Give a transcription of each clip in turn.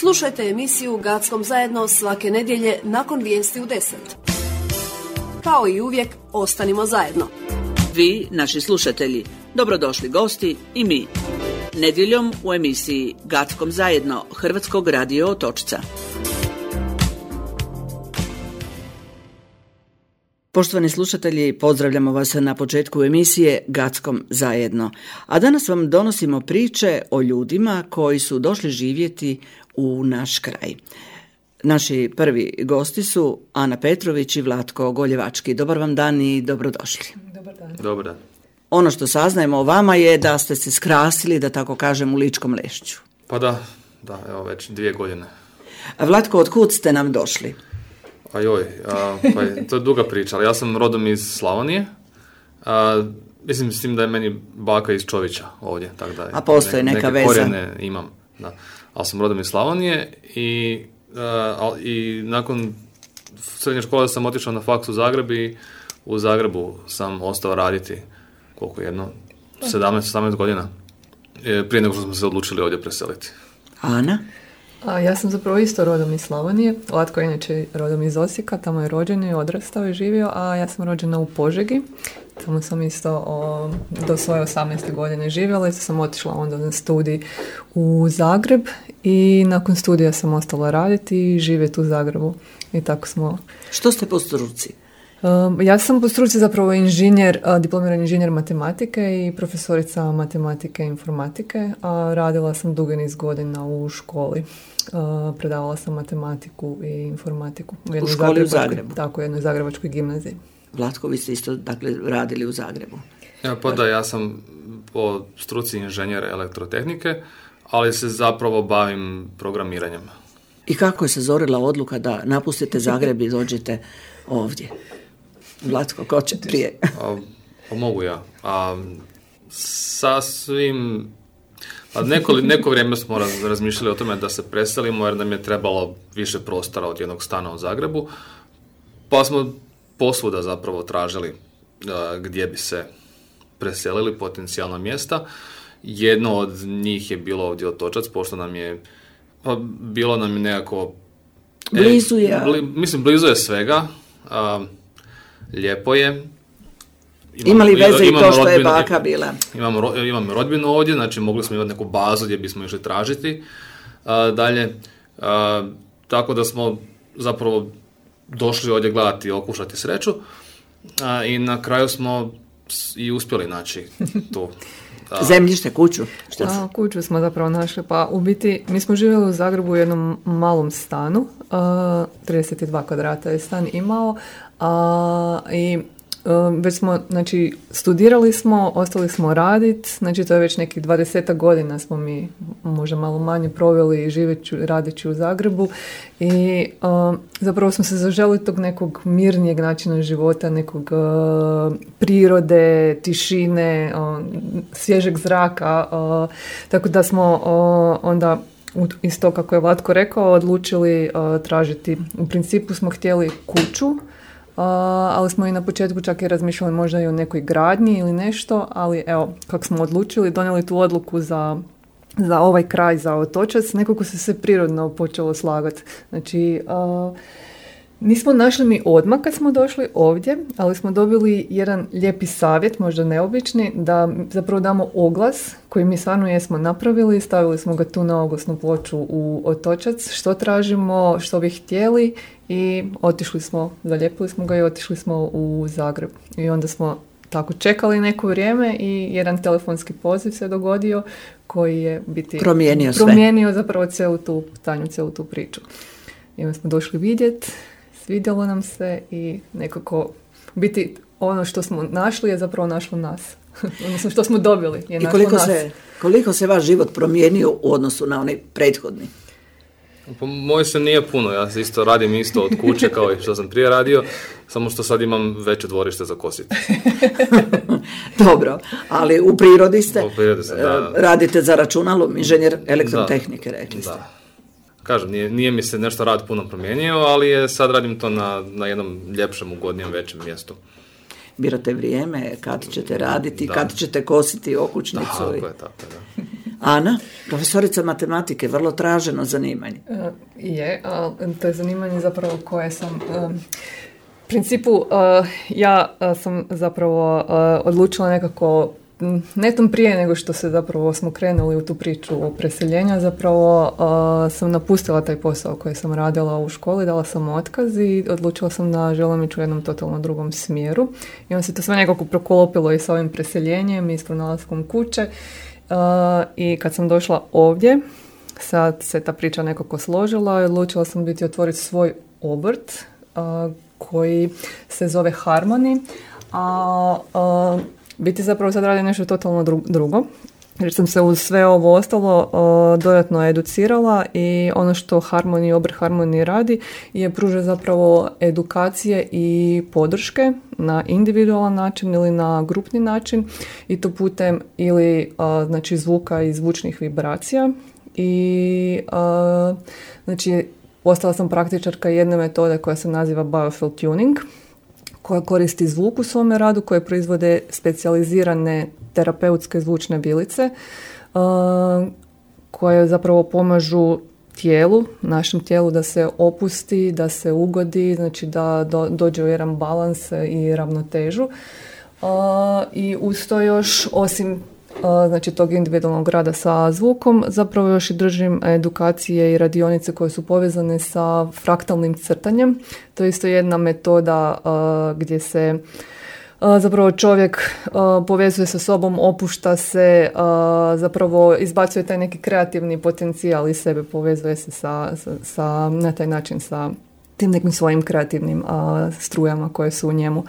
Slušajte emisiju Gackom zajedno svake nedjelje nakon vijesti u 10. Kao i uvijek, ostanimo zajedno. Vi, naši slušatelji, dobrodošli gosti i mi. Nedjeljom u emisiji Gackom zajedno Hrvatskog radio Otočca. Poštovani slušatelji, pozdravljamo vas na početku emisije Gackom zajedno. A danas vam donosimo priče o ljudima koji su došli živjeti u naš kraj. Naši prvi gosti su Ana Petrović i Vlatko Goljevački. Dobar vam dan i dobrodošli. Dobar dan. Dobar dan. Ono što saznajemo o vama je da ste se skrasili, da tako kažem, u Ličkom Lešću. Pa da, evo već 2 godine. A Vlatko, od kud ste nam došli? Pa to je duga priča, ali ja sam rodom iz Slavonije. Mislim s tim da je meni baka iz Čovića ovdje. Tako da a postoji neka veza? Neke korijene imam, da. Ali sam rodom iz Slavonije i nakon srednje škole sam otišao na faks u Zagreb i u Zagrebu sam ostao raditi koliko jedno 17-18 godina prije nego što smo se odlučili ovdje preseliti. Ana? Ja sam zapravo isto rodom iz Slavonije. Vlatko je inače rodom iz Osijeka, tamo je rođen i odrastao i živio, a ja sam rođena u Požegi. Tamo sam isto do svoje 18. godine živjela i sam otišla onda na studij u Zagreb i nakon studija sam ostala raditi i živjeti u Zagrebu. I tako smo... Što ste po struci? Ja sam po struci zapravo inženjer, diplomirani inženjer matematike i profesorica matematike i informatike, a radila sam dugi niz godina u školi. Predavala sam matematiku i informatiku. U školi u Zagrebu? Tako, u jednoj zagrebačkoj gimnaziji. Vlatko, vi ste isto radili u Zagrebu? Ja sam po struci inženjer elektrotehnike, ali se zapravo bavim programiranjem. I kako je se zorila odluka da napustite Zagreb i dođete ovdje? Vlatko, ko će prije? Mogu ja. Sasvim... Neko vrijeme smo razmišljali o tome da se preselimo jer nam je trebalo više prostora od jednog stana u Zagrebu, pa smo posvuda zapravo tražili gdje bi se preselili, potencijalna mjesta. Jedno od njih je bilo ovdje Otočac, pošto nam je bilo nam nekako... Blizu je. Blizu je svega. Lijepo je. Ima li veze i to što je baka bila? Imamo rodbinu ovdje, znači mogli smo imati neku bazu gdje bismo išli tražiti dalje. Tako da smo zapravo došli ovdje gledati i okušati sreću i na kraju smo i uspjeli naći tu. Zemljište, kuću? Kuću smo zapravo našli. Pa u biti mi smo živjeli u Zagrebu u jednom malom stanu. 32 kvadrata je stan imao. I već smo, znači, studirali smo, ostali smo raditi, znači to je već nekih 20 godina smo mi možda malo manje proveli radeći u Zagrebu i zapravo smo se zaželi tog nekog mirnijeg načina života, nekog prirode, tišine, svježeg zraka, tako da smo onda isto kako je Vlatko rekao odlučili tražiti, u principu smo htjeli kuću, ali smo i na početku čak i razmišljali možda i o nekoj gradnji ili nešto, ali evo, kako smo odlučili, donijeli tu odluku za ovaj kraj, za Otočac, nekako se sve prirodno počelo slagati. Znači, nismo našli mi odmah kad smo došli ovdje, ali smo dobili jedan lijepi savjet, možda neobični, da zapravo damo oglas koji mi stvarno jesmo napravili, stavili smo ga tu na oglasnu ploču u Otočac, što tražimo, što bi htjeli i otišli smo, zalijepili smo ga i otišli smo u Zagreb. I onda smo tako čekali neko vrijeme i jedan telefonski poziv se dogodio koji je biti promijenio zapravo cijelu tu Tanju, cijelu tu priču. I onda smo došli vidjeti, svidjelo nam se i nekako biti ono što smo našli je zapravo našlo nas. Odnosno što smo dobili je našlo nas. I koliko se vaš život promijenio u odnosu na onaj prethodni? Pa moj se nije puno, ja se isto radim isto od kuće kao i što sam prije radio, samo što sad imam veće dvorište za kositi. Dobro, ali u prirodi ste, da. Radite za računalom, inženjer elektrotehnike, rekli ste. Da. Kažem, nije mi se nešto rad puno promijenio, ali sad radim to na jednom ljepšem, ugodnijem, većem mjestu. Birate vrijeme, kad ćete raditi, kad ćete kositi okućnicu. Tako je. Ana, profesorica matematike, vrlo traženo zanimanje. To je zanimanje zapravo koje sam... U principu, ja sam zapravo odlučila nekako netom prije nego što se zapravo smo krenuli u tu priču preseljenja, zapravo sam napustila taj posao koji sam radila u školi, dala sam otkaz i odlučila sam da želim ići u jednom totalno drugom smjeru. I onda se to sve nekako proklopilo i sa ovim preseljenjem i s pronalaskom kuće. I kad sam došla ovdje, sad se ta priča nekako složila i odlučila sam otvoriti svoj obrt koji se zove Harmony, a biti zapravo sad radi nešto totalno drugo. Jer sam se uz sve ovo ostalo dodatno educirala i ono što obrt Harmony radi je pruža zapravo edukacije i podrške na individualan način ili na grupni način i to putem ili znači zvuka i zvučnih vibracija i znači postala sam praktičarka jedne metode koja se naziva Biofield Tuning, koja koristi zvuk u svome radu, koje proizvode specijalizirane terapeutske zvučne bilice koje zapravo pomažu našem tijelu da se opusti, da se ugodi, znači da dođe u jedan balans i ravnotežu. I uz to još, osim znači tog individualnog rada sa zvukom, zapravo još i držim edukacije i radionice koje su povezane sa fraktalnim crtanjem. To je isto jedna metoda gdje se zapravo čovjek povezuje sa sobom, opušta se, zapravo izbacuje taj neki kreativni potencijal iz sebe, povezuje se sa na taj način sa tim nekim svojim kreativnim strujama koje su u njemu.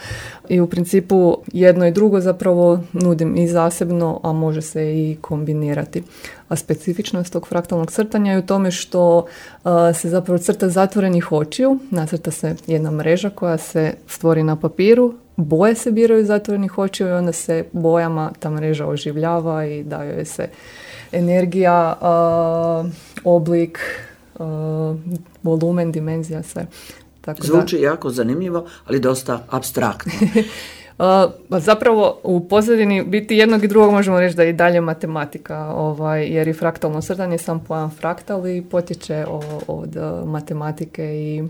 I u principu jedno i drugo zapravo nudim i zasebno, a može se i kombinirati. A specifičnost tog fraktalnog crtanja je u tome što se zapravo crta zatvorenih očiju, nacrta se jedna mreža koja se stvori na papiru, boje se biraju zatvorenih očiju i onda se bojama ta mreža oživljava i daje joj se energija, oblik, volumen, dimenzija, sve. Tako zvuči jako zanimljivo, ali dosta apstraktno. Zapravo u pozadini biti jednog i drugog možemo reći da je i dalje matematika, jer i fraktalno crtanje, sam pojam fraktal i potječe od matematike i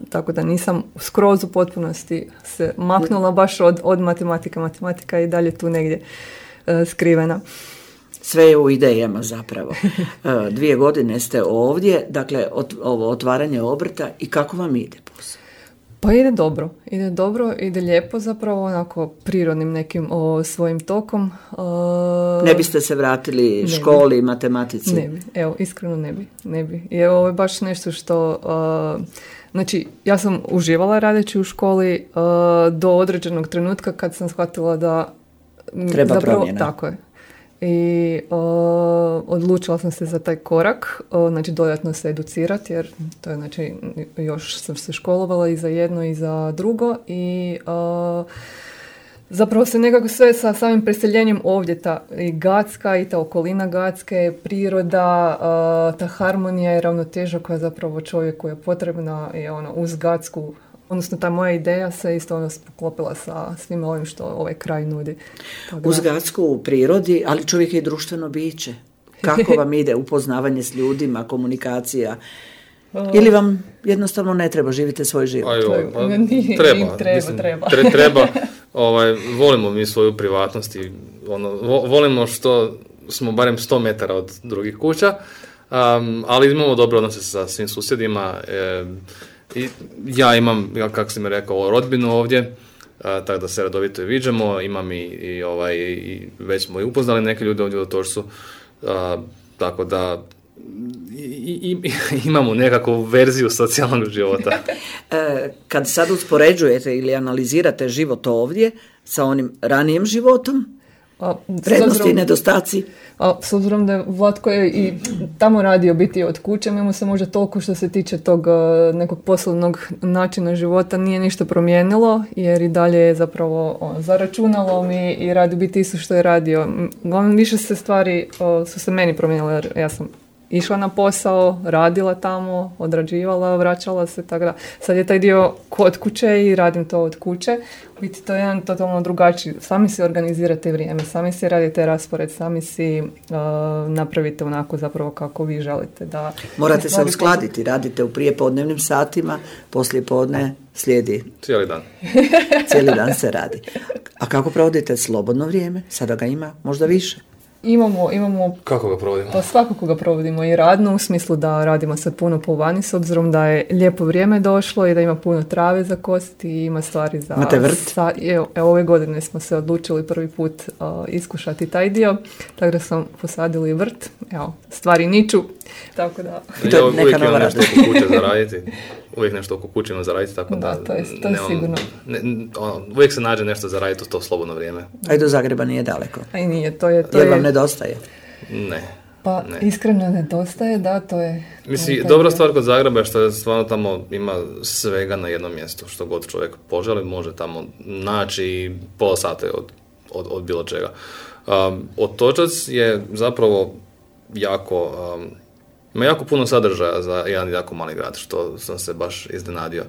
tako da nisam skroz u potpunosti se maknula baš od matematike. Matematika je i dalje tu negdje skrivena. Sve je u idejama zapravo. 2 godine ste ovdje, dakle ovo otvaranje obrta i kako vam ide posao? Pa ide lijepo zapravo, onako prirodnim nekim svojim tokom. Ne biste se vratili školi, matematici? Ne bi, evo, iskreno ne bi. I ovo je baš nešto što, znači, ja sam uživala radeći u školi do određenog trenutka kad sam shvatila da treba zapravo, promjena. Tako je. I odlučila sam se za taj korak, znači dodatno se educirati jer to je, znači, još sam se školovala i za jedno i za drugo i zapravo se nekako sve sa samim preseljenjem ovdje, ta i Gacka i ta okolina Gacke, priroda, ta harmonija i ravnoteža koja zapravo čovjeku je potrebna i uz Gacku. Odnosno, ta moja ideja se isto poklopila sa svim ovim što ovaj kraj nudi. Uz Gacku u prirodi, ali čovjek je i društveno biće. Kako vam ide upoznavanje s ljudima, komunikacija? Ili vam jednostavno ne treba, živite svoj život? Treba. Volimo mi svoju privatnost i volimo što smo barem 100 metara od drugih kuća, ali imamo dobre odnose sa svim susjedima. I ja imam, kako sam rekao, rodbinu ovdje, tako da se redovito i viđamo, imam i već smo i upoznali neke ljude ovdje u Torsu, tako da imamo nekakvu verziju socijalnog života. Kad sad uspoređujete ili analizirate život ovdje sa onim ranijim životom, prednosti i nedostaci? S obzirom da je Vlatko je i tamo radio biti od kuće, mi mu se možda toliko što se tiče tog nekog poslovnog načina života nije ništa promijenilo, jer i dalje je zapravo za računalom i radi biti isto što je radio. Više se stvari su se meni promijenile, jer ja sam išla na posao, radila tamo, odrađivala, vraćala se, tako da sad je taj dio kod kuće i radim to od kuće. Biti to je jedan totalno drugačiji, sami si organizirate vrijeme, sami si radite raspored, sami si napravite onako zapravo kako vi želite. Da morate se uskladiti, radite u prijepodnevnim satima, poslije podne slijedi. Cijeli dan. Cijeli dan se radi. A kako provodite slobodno vrijeme? Sada ga ima možda više. Imamo... Kako ga provodimo? Pa svakako ga provodimo i radno, u smislu da radimo sad puno po vani, s obzirom da je lijepo vrijeme došlo i da ima puno trave za kositi i ima stvari za... Imate vrt? Evo, ove godine smo se odlučili prvi put iskušati taj dio, tako da smo posadili vrt, evo, stvari niču, tako da... Ja uvijek imam nešto oko kuće zaraditi. Uvijek nešto oko kuće imam zaraditi, tako da... to je sigurno. Uvijek se nađe nešto zaraditi u to slobodno vrijeme. A i do Zagreba nije daleko. A i nije, to je... Jer vam nedostaje? Ne. Pa iskreno nedostaje, da, to je... Mislim, dobra stvar kod Zagreba je što je stvarno tamo ima svega na jednom mjestu. Što god čovjek poželi, može tamo naći pola sata od bilo čega. Otočac je zapravo jako... ima jako puno sadržaja za jedan jako mali grad, što sam se baš iznenadio.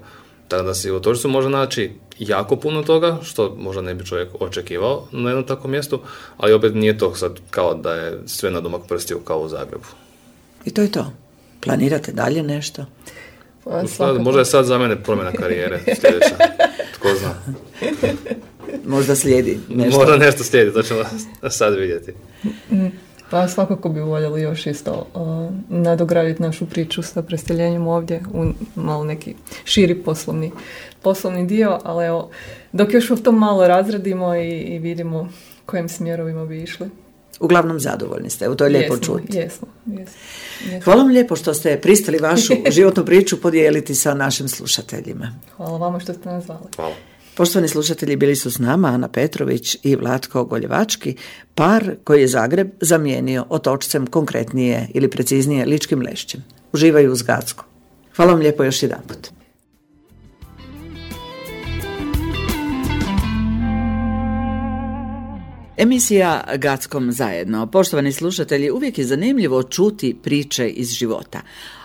Tako da si u Otočcu može naći jako puno toga, što možda ne bi čovjek očekivao na jednom takvom mjestu, ali opet nije to sad kao da je sve na domak prstiju kao u Zagrebu. I to je to. Planirate dalje nešto? Možda je sad za mene promjena karijere sljedeća. Tko zna. Možda slijedi nešto. Možda nešto slijedi, to ćemo sad vidjeti. Pa svakako bi voljeli još isto nadograditi našu priču sa preseljenjem ovdje u malo neki širi poslovni dio, ali evo, dok još u tom malo razradimo i vidimo kojim smjerovima bi išli. Uglavnom zadovoljni ste, to je lijepo čuti. Jesmo. Hvala vam lijepo što ste pristali vašu životnu priču podijeliti sa našim slušateljima. Hvala vama što ste nas zvali. Hvala. Poštovani slušatelji, bili su s nama Ana Petrović i Vlatko Goljevački, par koji je Zagreb zamijenio Otočcem, konkretnije ili preciznije Ličkim Lešćem. Uživaju uz Gacko. Hvala vam lijepo još jedanput. Emisija Gackom zajedno. Poštovani slušatelji, uvijek je zanimljivo čuti priče iz života.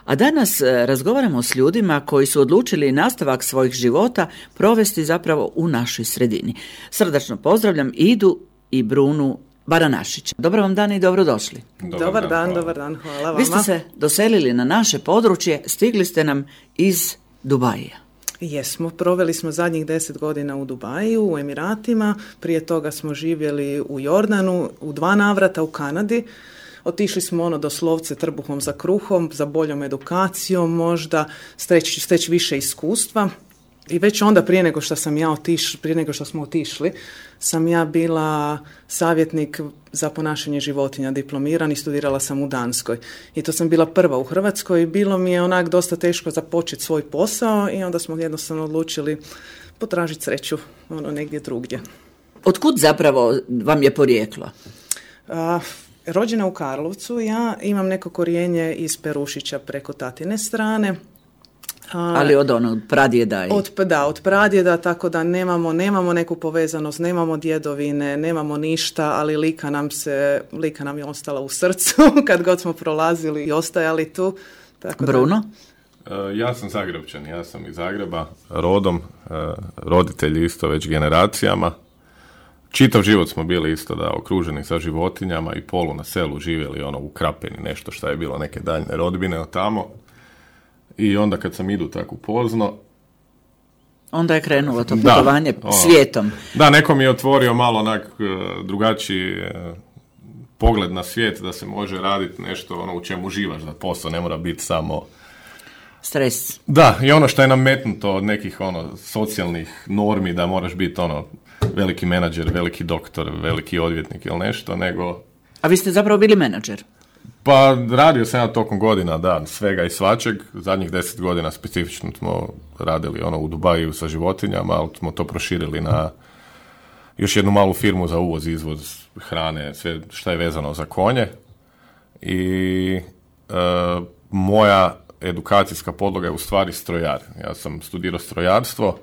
A danas razgovaramo s ljudima koji su odlučili nastavak svojih života provesti zapravo u našoj sredini. Srdačno pozdravljam Idu i Brunu Baranašić. Dobar vam dan i dobrodošli. Dobar dan, hvala vama. Vi ste se doselili na naše područje, stigli ste nam iz Dubaija. Jesmo, proveli smo zadnjih 10 godina u Dubaju, u Emiratima, prije toga smo živjeli u Jordanu, u 2 navrata u Kanadi. Otišli smo doslovce trbuhom za kruhom, za boljom edukacijom, možda steći više iskustva. I već onda prije nego što smo otišli, sam ja bila savjetnik za ponašanje životinja, diplomiran i studirala sam u Danskoj. I to sam bila prva u Hrvatskoj i bilo mi je onak dosta teško započeti svoj posao i onda smo jednostavno odlučili potražiti sreću negdje drugdje. Otkud zapravo vam je porijeklo? Rođena u Karlovcu, ja imam neko korijenje iz Perušića preko tatine strane. Ali od pradjeda? Od pradjeda, tako da nemamo neku povezanost, nemamo djedovine, nemamo ništa, ali lika nam je ostala u srcu kad god smo prolazili i ostajali tu. Tako Bruno? Ja sam Zagrebčan, ja sam iz Zagreba, rodom, roditelji isto već generacijama. Čitav život smo bili isto okruženi sa životinjama i polu na selu živjeli u Krapini, nešto što je bilo neke daljne rodbine od tamo. I onda kad sam idu tako pozno... Onda je krenulo to putovanje svijetom. Da, neko mi je otvorio malo drugačiji pogled na svijet, da se može raditi nešto u čemu uživaš, da posao ne mora biti samo... Stres. Da, i što je nametnuto od nekih socijalnih normi, da moraš biti veliki menadžer, veliki doktor, veliki odvjetnik ili nešto, nego... A vi ste zapravo bili menadžer? Pa radio sam ja tokom godina, svega i svačeg. Zadnjih 10 godina specifično smo radili u Dubaju sa životinjama, ali smo to proširili na još jednu malu firmu za uvoz, izvoz hrane, sve što je vezano za konje. I moja edukacijska podloga je u stvari strojar. Ja sam studirao strojarstvo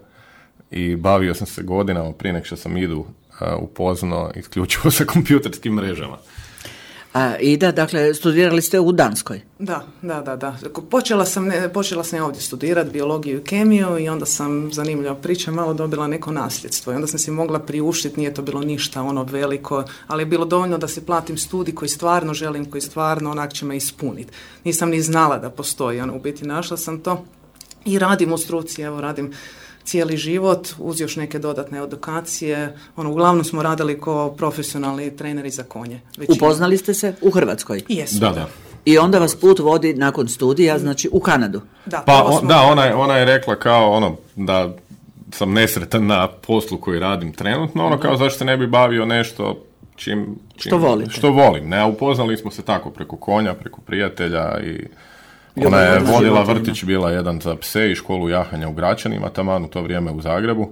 i bavio sam se godinama prije nego što sam idu upoznao isključivo sa kompjuterskim mrežama. A Ida, dakle, studirali ste u Danskoj? Da. Počela sam ovdje studirati biologiju i kemiju i onda sam, zanimljiva priča, malo dobila neko nasljedstvo i onda sam si mogla priuštiti, nije to bilo ništa ono veliko, ali je bilo dovoljno da si platim studij koji stvarno želim, koji stvarno onak će me ispuniti. Nisam ni znala da postoji, u biti našla sam to i radim u struci, radim cijeli život, uz još neke dodatne edukacije. Uglavnom smo radili kao profesionalni treneri za konje. Upoznali ste se u Hrvatskoj? Jesu. Da. I onda vas put vodi nakon studija, znači u Kanadu. Da, ona je rekla kao da sam nesretan na poslu koji radim trenutno, kao zašto se ne bi bavio nešto što volim. Ne, a upoznali smo se tako preko konja, preko prijatelja i ona je vodila vrtić, bila jedan za pse i školu jahanja u Gračanima, taman u to vrijeme u Zagrebu.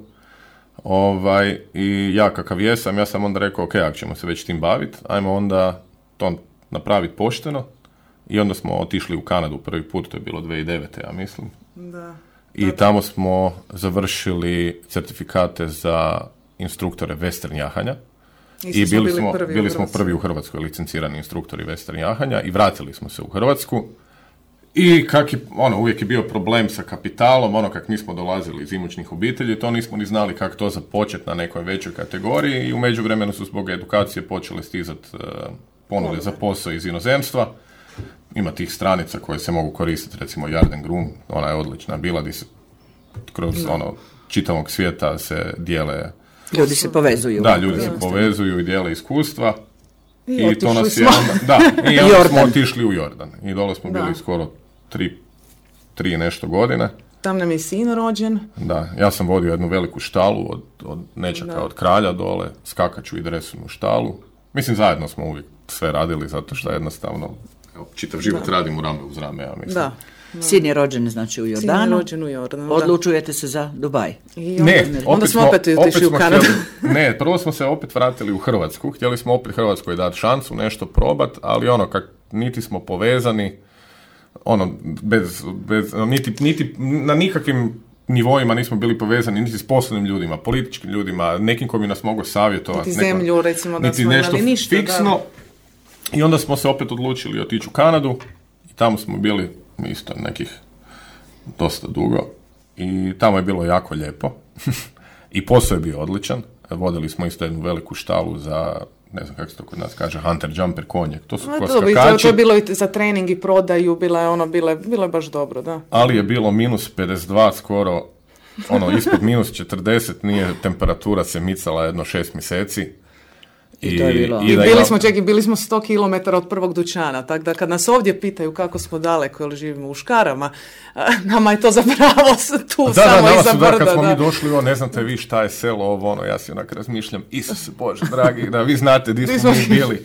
I ja kakav jesam, ja sam onda rekao, ok, ako ćemo se već tim baviti, ajmo onda to napraviti pošteno. I onda smo otišli u Kanadu prvi put, to je bilo 2009. ja mislim. Da. I tamo smo završili certifikate za instruktore western jahanja. I bili smo prvi u Hrvatskoj licencirani instruktori western jahanja i vratili smo se u Hrvatsku. I uvijek je bio problem sa kapitalom, kak nismo dolazili iz imućnih obitelji, to nismo ni znali kako to započeti na nekoj većoj kategoriji i u međuvremenu su zbog edukacije počele stizati ponude za posao iz inozemstva. Ima tih stranica koje se mogu koristiti, recimo Yard & Groom, ona je odlična bila, gdje se kroz čitavog svijeta se dijele... Ljudi se povezuju. Da, ljudi se povezuju i dijele iskustva. I to nas je i onda smo otišli u Jordan. I dole smo bili skoro 3 nešto godine. Tam nam je sin rođen. Da, ja sam vodio jednu veliku štalu od nečaka od kralja dole, skakaču i dresunu štalu. Mislim, zajedno smo uvijek sve radili, zato što jednostavno čitav život radim u rame uz rame, ja mislim. Da. Sin je rođen, znači, u Jordanu. Sin je rođen u Jordanu, odlučujete se za Dubaj. Onda smo opet otišli u Kanadu. Prvo smo se opet vratili u Hrvatsku. Htjeli smo opet Hrvatskoj dati šansu, nešto probat, ali niti smo povezani, niti na nikakvim nivoima nismo bili povezani, niti s poslovnim ljudima, političkim ljudima, nekim ko bi nas mogao savjetovati. Niti zemlju, recimo, da smo imali ništa. Fiksno. Da. I onda smo se opet odlučili otići u Kanadu i tamo smo bili isto nekih dosta dugo i tamo je bilo jako lijepo i posao je bio odličan. Vodili smo isto jednu veliku štalu za, ne znam kako se to kod nas kaže, hunter jumper konje. To su skakači. To je bilo i za trening i prodaju, bilo je baš dobro, da. Ali je bilo minus 52 skoro, ispod minus 40 nije temperatura se micala jedno 6 mjeseci. I bili smo 100 km od prvog dućana, tako da kad nas ovdje pitaju kako smo daleko ili živimo u Škarama, nama je to zapravo tu samo iza brda. Kad smo mi došli, ne znate vi šta je selo, ja si onak razmišljam, Isuse Bože, dragi, da vi znate di smo mi bili.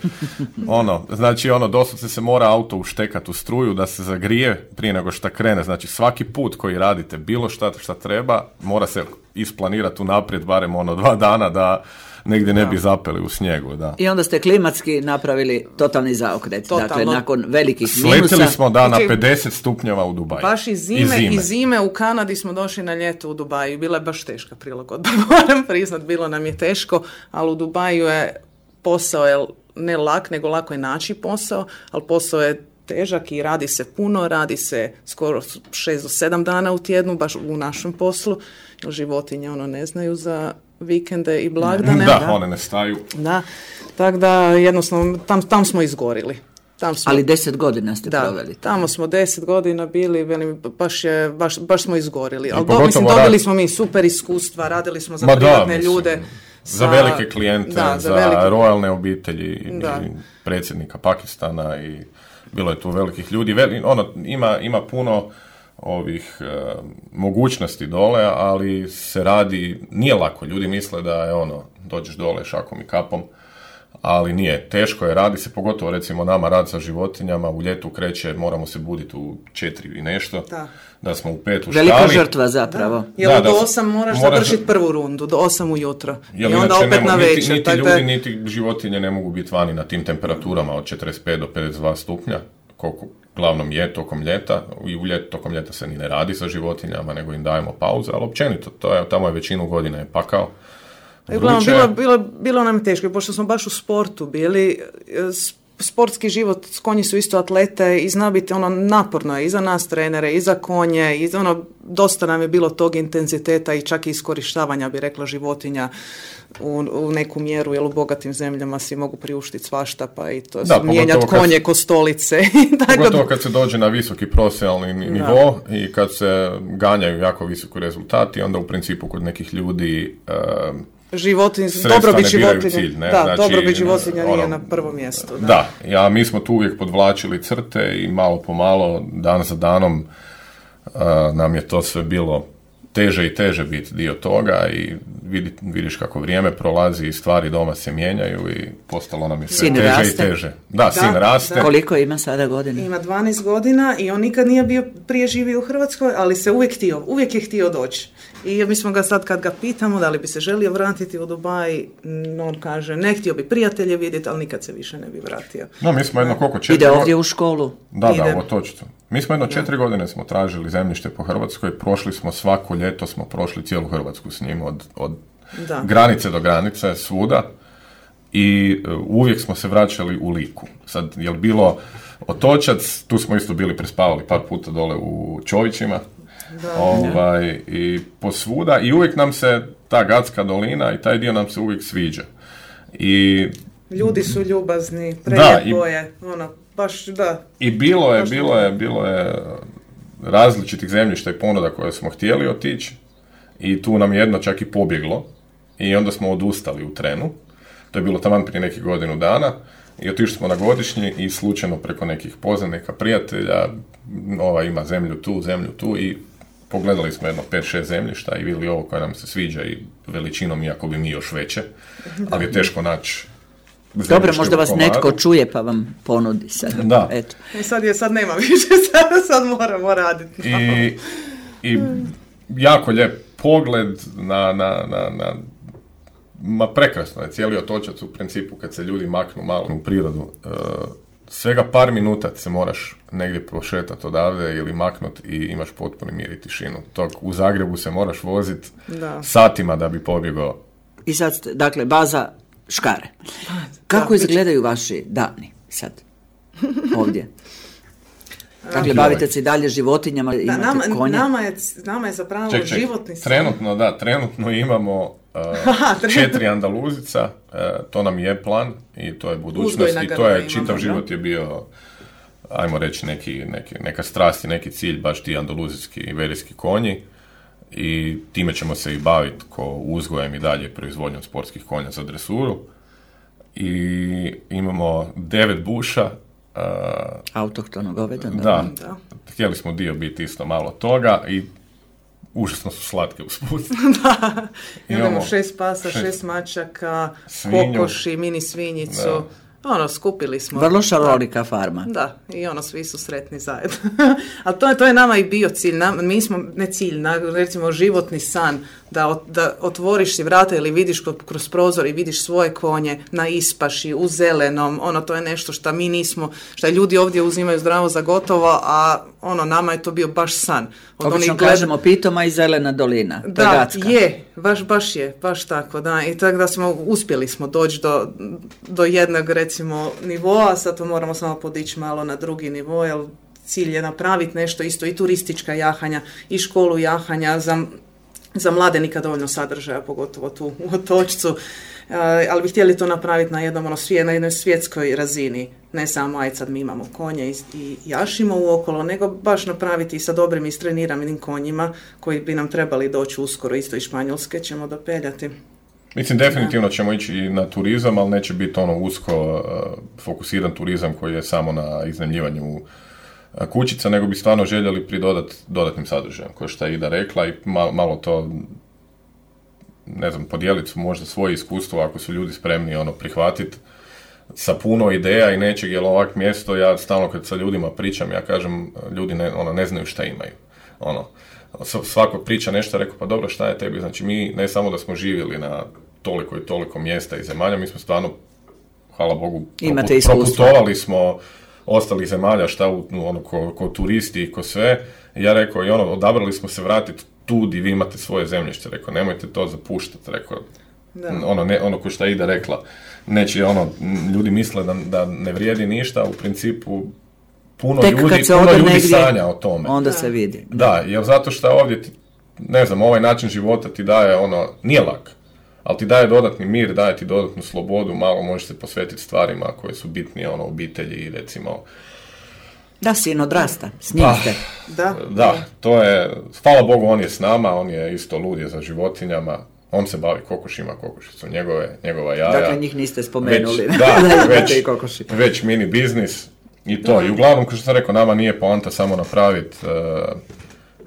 Znači, doslovce se mora auto uštekati u struju da se zagrije prije nego šta krene. Znači, svaki put koji radite, bilo šta treba, mora se isplanirati unaprijed, barem 2 dana da negdje ne bi zapeli u snijegu, da. I onda ste klimatski napravili totalni zaokret. Dakle, nakon velikih minusa... Sletili smo na 50 stupnjeva u Dubaju. Baš i zime u Kanadi smo došli na ljeto u Dubaju. Bila je baš teška prilagodba, moram priznat, bilo nam je teško, ali u Dubaju je posao ne lak, nego lako je naći posao, ali posao je težak i radi se puno, radi se skoro 6 do 7 dana u tjednu, baš u našem poslu, jer životinje ne znaju za vikende i blagdane. Da, one ne staju. Da, tako da jednostavno tam smo izgorili. Ali 10 godina ste proveli. Tamo smo 10 godina bili, baš smo izgorili. Ali dobili smo mi super iskustva, radili smo za privatne ljude. Za velike klijente, za royalne obitelji i predsjednika Pakistana i bilo je tu velikih ljudi. Ima puno ovih mogućnosti dole, ali se radi, nije lako. Ljudi misle da je dođeš dole šakom i kapom, ali nije. Teško je, radi se, pogotovo recimo nama rad sa životinjama, u ljetu kreće, moramo se buditi u 4 i nešto, da smo u 5 u štali. Velika žrtva zapravo. Jer do 8 moraš završiti prvu rundu, do 8 ujutro. I onda opet na večer. Niti ljudi, niti životinje ne mogu biti vani na tim temperaturama od 45 do 52 stupnja, koliko glavnom je tokom ljeta, i tokom ljeta se ni ne radi sa životinjama, nego im dajemo pauze, ali općenito, tamo je većinu godina je pakao. Bilo nam teško, pošto smo baš u sportu bili, sportski život, konji su isto atlete i zna biti naporno je i za nas trenere, i za konje, i dosta nam je bilo tog intenziteta i čak i iskorištavanja, bi rekla, životinja u neku mjeru, jer u bogatim zemljama si mogu priuštiti svašta, pa i to mijenjati konje ko stolice. Pogotovo kad se dođe na visoki profesionalni nivo i kad se ganjaju jako visoki rezultati, onda u principu kod nekih ljudi dobrobit životinja. Cilj, ne? Da, znači, dobrobit životinja nije na prvom mjestu. Da, mi smo tu uvijek podvlačili crte i malo po malo, dan za danom, nam je to sve bilo teže i teže biti dio toga i vidiš kako vrijeme prolazi i stvari doma se mijenjaju i postalo nam je sve sin teže raste. I teže. Da, sin raste. Koliko ima sada godina? Ima 12 godina i on nikad nije bio prije živio u Hrvatskoj, ali se uvijek je htio doći. I mi smo ga sad, kad ga pitamo da li bi se želio vratiti u Dubaj, on kaže ne, htio bi prijatelje vidjeti, ali nikad se više ne bi vratio. No, mi smo jedno koliko 4 Ide ovdje u školu? Da, u Otočcu. Mi smo jedno 4 godine smo tražili zemljište po Hrvatskoj, prošli smo svako ljeto, smo prošli cijelu Hrvatsku s njim, od granice do granice, svuda, i uvijek smo se vraćali u Liku. Sad, je li bilo Otočac, tu smo isto bili prespavali par puta dole u Čovićima, i posvuda, i uvijek nam se ta Gatska dolina i taj dio nam se uvijek sviđa. I ljudi su ljubazni, prelijepo je, baš da. I bilo je različitih zemljišta i ponuda koje smo htjeli otići i tu nam je jedno čak i pobjeglo i onda smo odustali u trenu. To je bilo taman prije nekih godinu dana i otišli smo na godišnji i slučajno preko nekih poznanika, prijatelja, ima zemlju tu i pogledali smo jedno 5-6 zemljišta i vidjeli ovo koje nam se sviđa i veličinom, iako bi mi još veće, ali je teško naći. Dobro, možda vas netko čuje pa vam ponudi sad. Da. Eto. Sad nema više, sad moramo raditi. I jako lijep pogled ma prekrasno je cijeli Otočac u principu kad se ljudi maknu malo u prirodu. Svega par minuta se moraš negdje prošetati odavde ili maknut i imaš potpuni mir i tišinu. U Zagrebu se moraš voziti satima da bi pobjegao. I sad, dakle, baza Škare. Kako izgledaju vaši dani sad ovdje? Dakle, bavite se i dalje životinjama, imate konje. Nama je zapravo životni san. Trenutno imamo 4 Andaluzica, to nam je plan i to je budućnost i to je čitav život je bio, ajmo reći, neka strast i neki cilj, baš ti andaluzijski i iberijski konji, i time ćemo se i baviti ko uzgojem i dalje proizvodnjom sportskih konja za dresuru. I imamo 9 buša. Autohtono govedo. Da, htjeli smo dio biti isto malo toga i užasno su slatke usput. Da, imamo 6 pasa, 6 mačaka, svinju, kokoši, mini svinjicu. Skupili smo. Vrlo šarolika farma. Da, i svi su sretni zajedno. Ali to je nama i bio cilj. Mi smo, ne cilj, recimo životni san, da otvoriš si vrata ili vidiš kroz prozor i vidiš svoje konje na ispaši, u zelenom. To je nešto što mi nismo, što ljudi ovdje uzimaju zdravo za gotovo, a nama je to bio baš san. Obično kažemo Pitoma i zelena dolina. Da, je, baš tako, da. I tako da uspjeli smo doći do jednog, recimo, nivoa, sad to moramo samo podići malo na drugi nivo, jer cilj je napraviti nešto isto, i turistička jahanja, i školu jahanja, za mlade nikad dovoljno sadržaja, pogotovo tu u Otočcu, ali bi htjeli to napraviti na jednoj svjetskoj razini, ne samo aj sad mi imamo konje i jašimo uokolo, nego baš napraviti sa dobrim istreniranim konjima koji bi nam trebali doći uskoro, isto iz Španjolske ćemo dopeljati. Mislim, definitivno ćemo ići i na turizam, ali neće biti usko fokusiran turizam koji je samo na iznajmljivanju kućica, nego bi stvarno željeli pridodati dodatnim sadržajem, kao što je Ida rekla, i malo to, ne znam, podijeliti možda svoje iskustvo ako su ljudi spremni prihvatiti sa puno ideja i nečeg, jer ovak mjesto, ja stalno kad sa ljudima pričam, ja kažem, ljudi ne znaju šta imaju. Svako priča nešto, rekao, pa dobro, šta je tebi? Znači, mi ne samo da smo živjeli na toliko i toliko mjesta i zemalja, mi smo stvarno, hvala Bogu, proputovali smo ostalih zemalja, ko turisti i ko sve. Ja rekao, i odabrali smo se vratiti tu gdje vi imate svoje zemljište. Rekao, nemojte to zapuštati. Rekao, Ono ko što je Ida rekla, neće ljudi misle da ne vrijedi ništa, u principu puno ljudi sanja o tome. Onda se vidi. Da, jer zato što ovdje, ne znam, ovaj način života ti daje nije lak, ali ti daje dodatni mir, daje ti dodatnu slobodu, malo možeš se posvetiti stvarima koje su bitnije, obitelji, recimo. Da, sin odrasta, s njim ste. Da, to je, hvala Bogu, on je s nama, on je isto lud je za životinjama, on se bavi kokošima, kokošicu, njegova jaja. Dakle, njih niste spomenuli. Već mini biznis i to. I uglavnom, kao što sam rekao, nama nije poanta samo napraviti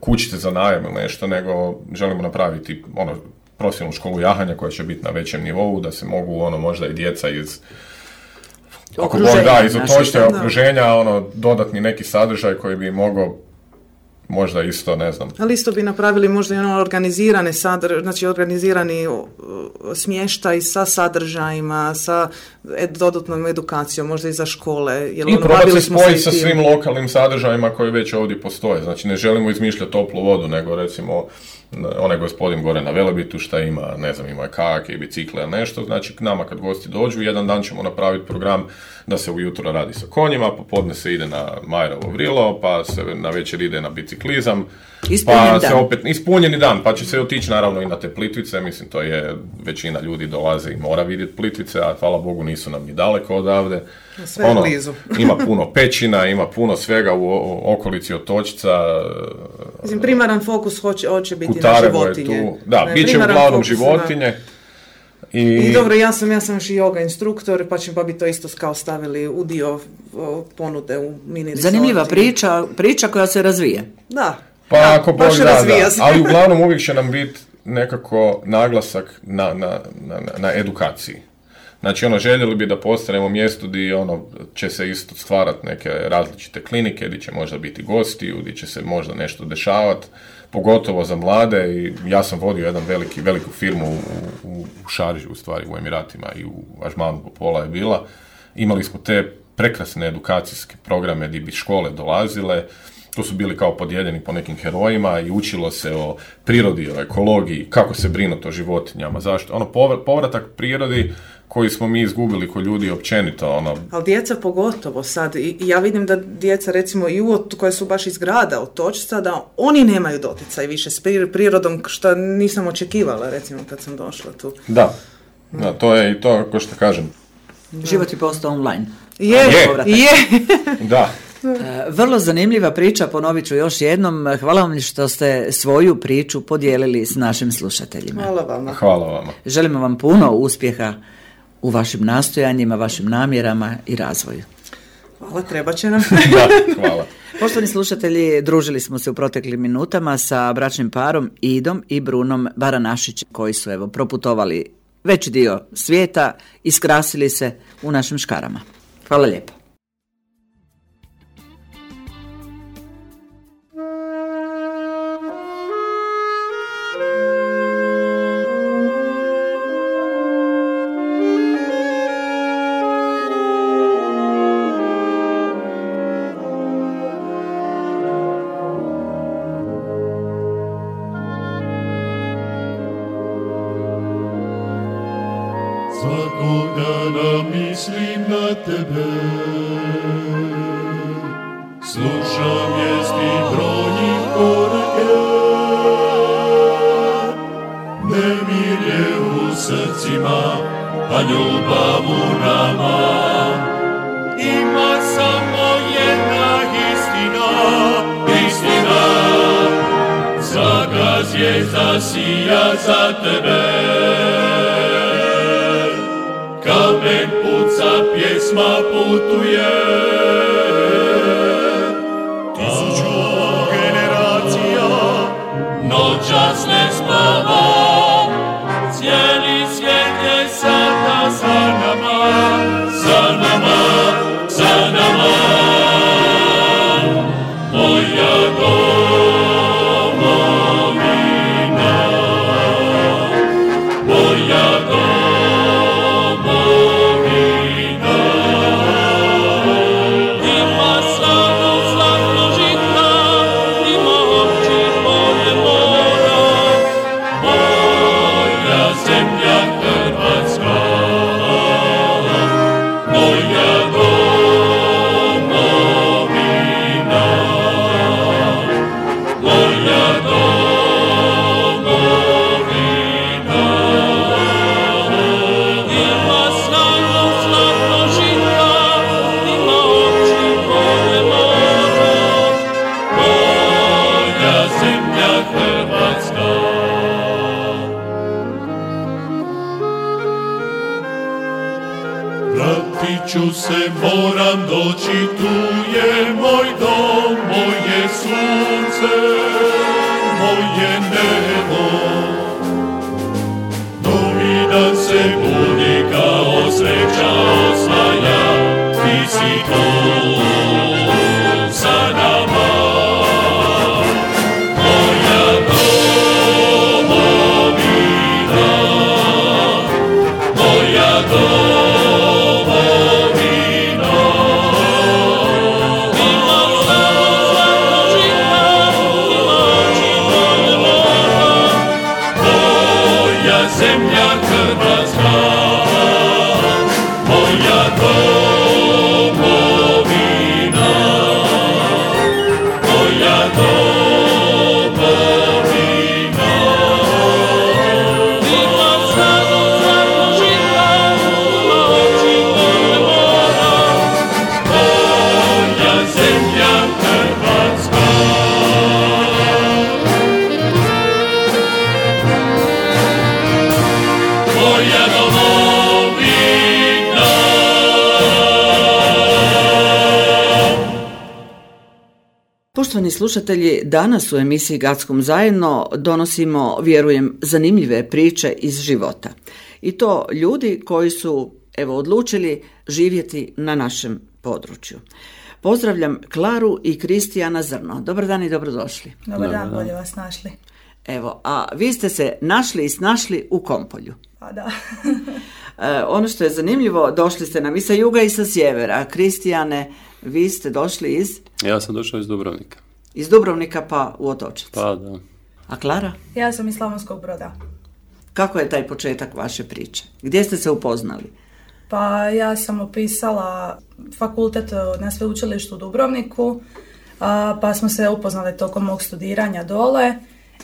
kućice za najam ili nešto, nego želimo napraviti profesionalnu školu jahanja koja će biti na većem nivou, da se mogu možda i djeca iz iz okruženja, dodatni neki sadržaj koji bi mogao možda isto, ne znam. Ali isto bi napravili možda i organizirane znači organizirani smještaj sa sadržajima, sa dodatnom edukacijom, možda i za škole. I probati se spojiti sa svim lokalnim sadržajima koji već ovdje postoje. Znači ne želimo izmišljati toplu vodu, nego recimo onaj gospodin gore na Velebitu šta ima, ne znam, ima kajake i bicikle ili nešto, znači k nama kad gosti dođu, jedan dan ćemo napraviti program da se ujutro radi sa konjima, popodne se ide na Majerovo vrilo, pa se na večer ide na biciklizam, se opet ispunjeni dan, pa će se otići naravno i na te Plitvice, mislim to je, većina ljudi dolaze i mora vidjeti Plitvice, a hvala Bogu nisu nam ni daleko odavde. Sve blizu. Ima puno pećina, ima puno svega u okolici Otočca. Mislim, primaran fokus hoće biti na životinje. Da, bit će uglavnom životinje. I dobro, ja sam još i yoga instruktor, pa bi to isto kao stavili u dio ponude u mini resorti. Zanimljiva priča koja se razvija. Da. Pa ako Bog da, ali uglavnom uvijek će nam biti nekako naglasak na edukaciji. Znači, željeli bi da postanemo mjesto gdje će se isto stvarati neke različite klinike, gdje će možda biti gosti, gdje će se možda nešto dešavati, pogotovo za mlade. I ja sam vodio jedan veliku firmu u Šarži, u stvari u Emiratima i u Ažmanu Popola je bila. Imali smo te prekrasne edukacijske programe gdje bi škole dolazile. To su bili kao podijeljeni po nekim herojima i učilo se o prirodi, o ekologiji, kako se brinuti o životinjama, zašto. Povratak prirodi koji smo mi izgubili ko ljudi općenito. Ali djeca pogotovo sad, i ja vidim da djeca recimo i koje su baš iz grada Otočca, da oni nemaju doticaj više s prirodom, što nisam očekivala recimo kad sam došla tu. Da, to je i to, ko što kažem. Život je postao online. Je. Da. Vrlo zanimljiva priča, ponovit ću još jednom. Hvala vam što ste svoju priču podijelili s našim slušateljima. Hvala vama. Želimo vam puno uspjeha u vašim nastojanjima, vašim namjerama i razvoju. Hvala, treba će nam. Da, hvala. Poštovani slušatelji, družili smo se u proteklim minutama sa bračnim parom Idom i Brunom Baranašićem, koji su proputovali veći dio svijeta i skrasili se u našim škarama. Hvala lijepo. Svakog dana mislim na tebe, slušam vijesti brojnih korake, nemir je u srcima, a ljubav u nama. Ima samo jedna istina, svaka zvijezda sija za tebe. Kamen puca, pjesma putuje, 1000 generacija noćas ne spava. Cijeli svijet je sada za nama, za nama, za nama. Moja domovina, moja Ima vratit ću se, moram doći, tu je moj dom, moje sunce, moje nebo. Novi dan se budi kao sreća osvaja, ti si tu sa nama. Moja domovina, moja domovina. Moja zemlja Hrvatska, moja domovina, moja domovina. Moja zemlja Hrvatska. Moja domovina. Poštovani slušatelji, danas u emisiji Gackom zajedno donosimo, vjerujem, zanimljive priče iz života. I to ljudi koji su, odlučili živjeti na našem području. Pozdravljam Klaru i Kristijana Zrno. Dobar dan i dobrodošli. Dobar dan, bolje vas našli. A vi ste se našli i snašli u Kompolju. Pa da. Ono što je zanimljivo, došli ste nam i sa juga i sa sjevera. Kristijane, vi ste došli iz? Ja sam došao iz Dubrovnika. Iz Dubrovnika pa u Otočac. Pa da. A Klara? Ja sam iz Slavonskog Broda. Kako je taj početak vaše priče? Gdje ste se upoznali? Pa ja sam upisala fakultet na sveučilištu u Dubrovniku, pa smo se upoznali tokom mog studiranja dole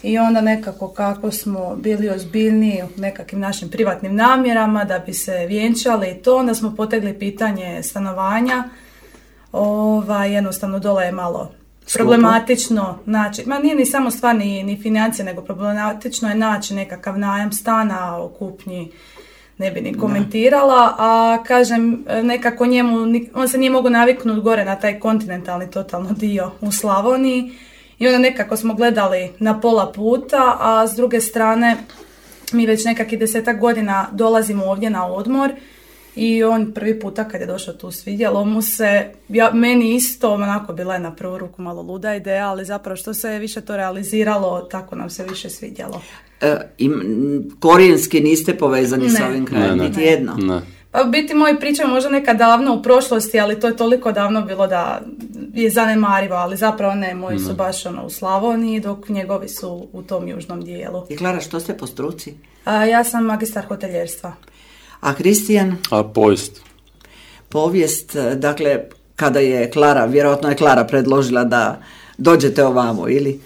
i onda nekako kako smo bili ozbiljniji u nekakvim našim privatnim namjerama da bi se vjenčali i to, onda smo potegli pitanje stanovanja. Jednostavno dole je malo problematično naći, nije ni samo stvar ni financije, nego problematično je naći nekakav najam stana, o kupnji ne bi ni komentirala, a kažem, nekako on se nije mogao naviknuti gore na taj kontinentalni totalno dio u Slavoniji i onda nekako smo gledali na pola puta, a s druge strane mi već nekakvih 10 godina dolazimo ovdje na odmor i on prvi puta kad je došao tu svidjelo mu se, meni isto onako bila je na prvu ruku malo luda ideja, ali zapravo što se više to realiziralo, tako nam se više svidjelo. Korijenski niste povezani s ovim krajem, niti jedno? Ne. Pa biti moji priča možda nekad davno u prošlosti, ali to je toliko davno bilo da je zanemarivo, ali zapravo ne, moji su baš u Slavoniji, dok njegovi su u tom južnom dijelu. I Klara, što ste po struci? Ja sam magistar hoteljerstva. A Kristijan? Povijest. Povijest, dakle, kada je Klara, vjerojatno je Klara predložila da dođete ovamo, ili?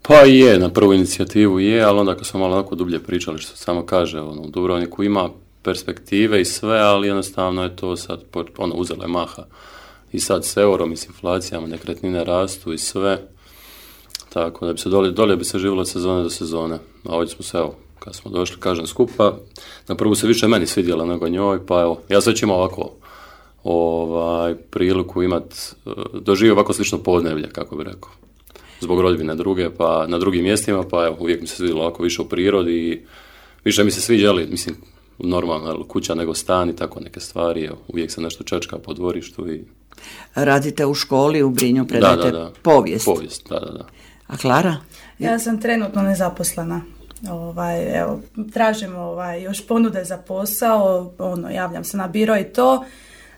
Pa je, na prvu inicijativu je, ali onda kad smo malo onako dublje pričali, što samo kaže, u Dubrovniku ima perspektive i sve, ali jednostavno je to sad, uzelo je maha. I sad s eurom i s inflacijama, nekretnine rastu i sve, tako da bi se dolje bi se živjelo od sezone do sezone. A ovdje smo se, kad smo došli, kažem, skupa, na prvu se više meni svidjela nego njoj, pa ja sad ću imao ovako priliku doživio ovako slično podneblje, kako bi rekao. Zbog rodbine druge, pa na drugim mjestima, pa uvijek mi se svidjelo ovako više u prirodi i više mi se sviđali, mislim, normalna kuća nego stan i tako neke stvari, uvijek se nešto čečka po dvorištu i... Radite u školi u Brinju, predajete povijest. Povijest, da. A Klara? Ja sam trenutno nezaposlena. Tražim još ponude za posao, javljam se na biro i to.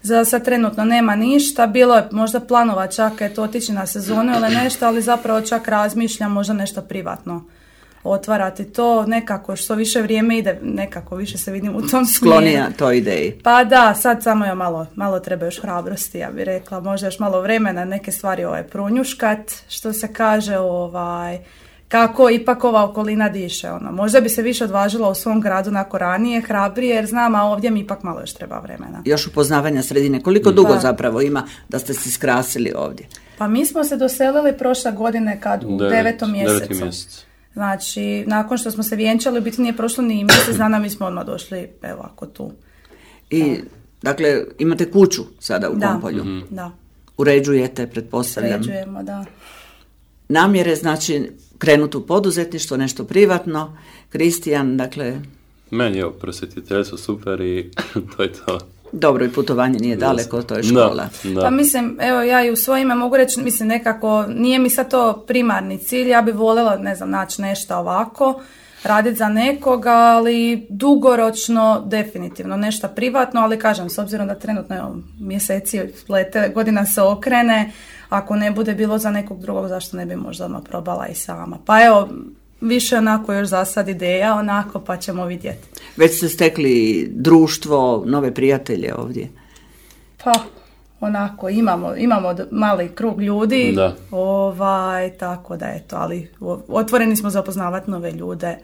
Za sad trenutno nema ništa, bilo je možda planova čak otići na sezonu ili nešto, ali zapravo čak razmišljam možda nešto privatno otvarati to, nekako što više vrijeme ide, nekako više se vidim u tom smjeru. Sklonija toj ideji. Pa da, sad samo je malo treba još hrabrosti, ja bih rekla, možda još malo vremena neke stvari pronjuškat, što se kaže, kako ipak ova okolina diše. Možda bi se više odvažila u svom gradu nakon ranije, hrabrije, jer znam, a ovdje mi ipak malo još treba vremena. Još upoznavanja sredine. Koliko dugo zapravo ima da ste se skrasili ovdje? Pa mi smo se doselili prošle godine kad u 9. mjesecu. 9. mjesec. Znači, nakon što smo se vjenčali, biti nije prošlo ni mjesec dana, mi smo odmah došli, evo ako tu. I Dakle, imate kuću sada u Kompolju. Da. Uređujete, pretpostavljam. Uređujemo, da. Namjere, znači, krenuti u poduzetništvo, nešto privatno. Kristijan, dakle... Meni je prosvjetiteljstvo super i to je to. Dobro, i putovanje nije daleko, to je škola. Da. Pa mislim, evo ja i u svoje ime mogu reći, mislim nekako, nije mi sad to primarni cilj, ja bi voljela, ne znam, naći nešto ovako, raditi za nekoga, ali dugoročno definitivno nešto privatno, ali kažem, s obzirom da trenutno evo, mjeseci lete, godina se okrene, ako ne bude bilo za nekog drugog, zašto ne bi možda odmah probala i sama. Pa evo, više onako još za sad ideja, onako, pa ćemo vidjeti. Već ste stekli društvo, nove prijatelje ovdje? Pa, onako, imamo mali krug ljudi, Da. Tako da eto, ali otvoreni smo za upoznavati nove ljude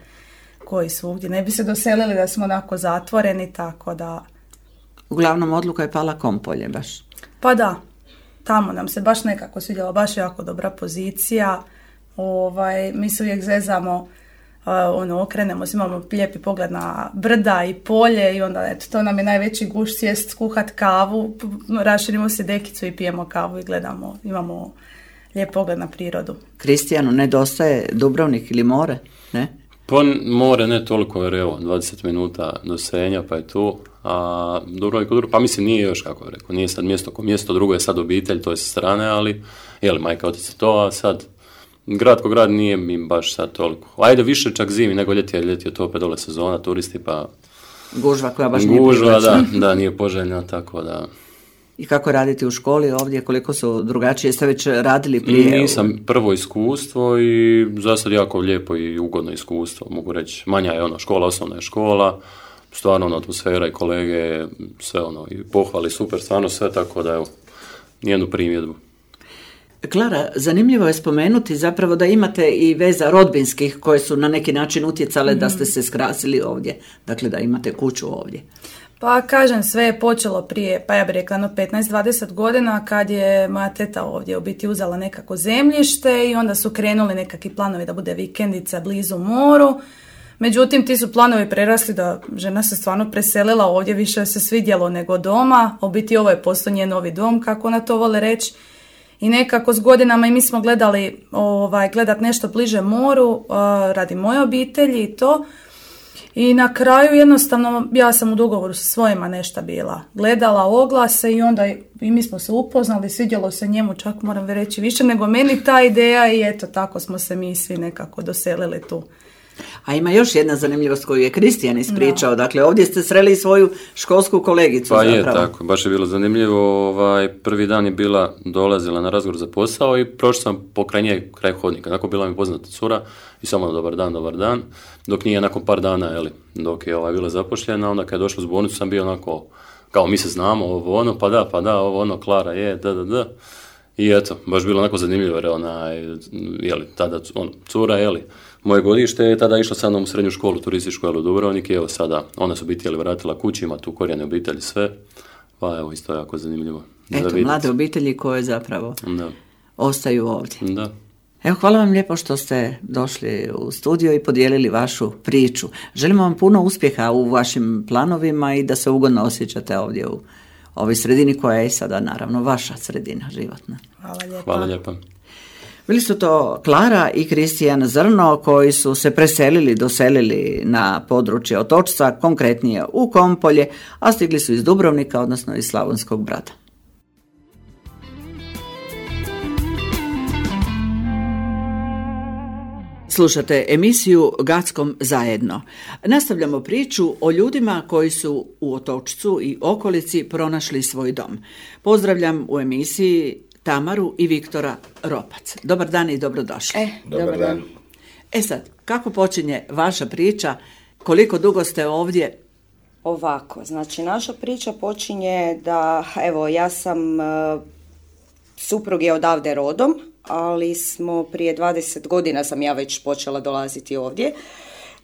koji su ovdje. Ne bi se doselili da smo onako zatvoreni, tako da... Uglavnom, odluka je pala Kompolje baš. Pa da, tamo nam se baš nekako svidjela, baš jako dobra pozicija. Mi se uvijek zezamo, okrenemo se, imamo lijepi pogled na brda i polje i onda eto, to nam je najveći gušt, sjest, skuhat kavu, raširimo se dekicu i pijemo kavu i gledamo, imamo lijep pogled na prirodu. Kristijanu, nedostaje Dubrovnik ili more, ne? Pa more ne toliko, jer evo, 20 minuta do Senja, pa je tu. A Dubrovnik, pa mislim nije još, kako je rekao, nije sad mjesto ko mjesto, drugo je sad obitelj, to je sa strane, ali, majka, otac je to, a sad grad ko grad nije mi baš sad toliko. Ajde više čak zimi nego ljeti, jer ljeti je to opet dole sezona, turisti, pa... Gužva koja baš nije privlačna. Da, nije poželjna, tako da... I kako raditi u školi ovdje, koliko su drugačije, ste već radili prije? Nisam, prvo iskustvo i za sad jako lijepo i ugodno iskustvo, mogu reći. Manja je škola, osnovna je škola, stvarno atmosfera i kolege, sve i pohvali, super, stvarno sve, tako da evo, nijednu primjedbu. Klara, zanimljivo je spomenuti zapravo da imate i veza rodbinskih koje su na neki način utjecale da ste se skrasili ovdje, dakle da imate kuću ovdje. Pa kažem, sve je počelo prije, pa ja bih rekla 15-20 godina kad je moja teta ovdje u biti uzela nekako zemljište i onda su krenuli nekakvi planovi da bude vikendica blizu moru. Međutim, ti su planovi prerasli da žena se stvarno preselila ovdje, više se svidjelo nego doma. U biti ovo je postao njen novi dom, kako ona to vole reći. I nekako s godinama i mi smo gledali gledat nešto bliže moru radi moje obitelji i to. I na kraju jednostavno ja sam u dogovoru sa svojima nešto bila. Gledala oglase i onda i mi smo se upoznali, svidjelo se njemu, čak moram reći više nego meni ta ideja i eto tako smo se mi svi nekako doselili tu. A ima još jedna zanimljivost koju je Kristijan ispričao. Dakle, ovdje ste sreli svoju školsku kolegicu. Pa zapravo. Je, tako. Baš je bilo zanimljivo. Prvi dan je dolazila na razgovor za posao i prošao sam kraj hodnika. Nakon bila mi poznata cura i samo dobar dan. Dok nije nakon par dana, dok je bila zapošljena, onda kad je došla u zbornicu sam bio onako, kao mi se znamo, pa da, Klara je, da. I eto, baš bilo onako zanimljivo, jer tada cura, moje godište je tada išla sa mnom u srednju školu, turističku u Dubrovnik i evo sada, ona se obitelji vratila kući, ima tu korijene obitelji, sve, pa evo isto jako zanimljivo. Eto, mlade obitelji koje zapravo ostaju ovdje. Da. Evo, hvala vam lijepo što ste došli u studio i podijelili vašu priču. Želimo vam puno uspjeha u vašim planovima i da se ugodno osjećate ovdje u ovoj sredini koja je sada naravno vaša sredina životna. Hvala lijepa. Bili su to Klara i Kristijan Zrno koji su se doselili na područje Otočca, konkretnije u Kompolje, a stigli su iz Dubrovnika, odnosno iz Slavonskog Brda. Slušate emisiju Gackom zajedno. Nastavljamo priču o ljudima koji su u Otočcu i okolici pronašli svoj dom. Pozdravljam u emisiji Tamaru i Viktora Ropac. Dobar dan i dobrodošli. Dobar dan. Sad, kako počinje vaša priča? Koliko dugo ste ovdje? Ovako, znači naša priča počinje da, evo, ja sam, suprug je odavde rodom, ali smo prije 20 godina sam ja već počela dolaziti ovdje.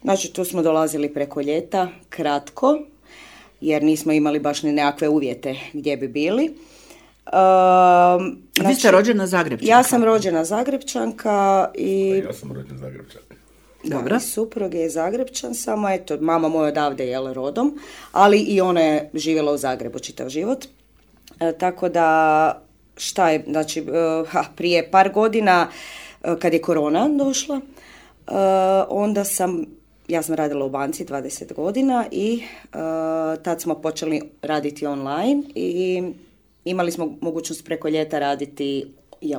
Znači, tu smo dolazili preko ljeta, kratko, jer nismo imali baš ni nekakve uvjete gdje bi bili. Vi ste rođena Zagrepčanka? Ja sam rođena Zagrepčanka i... Ja sam rođena Zagrepčanka. Dobro. Da, suprug je Zagrebčan, samo eto, mama moja odavde je rodom, ali i ona je živjela u Zagrebu čitav život. Tako da, šta je, znači, prije par godina, kad je korona došla, onda ja sam radila u banci 20 godina i tad smo počeli raditi online i imali smo mogućnost preko ljeta raditi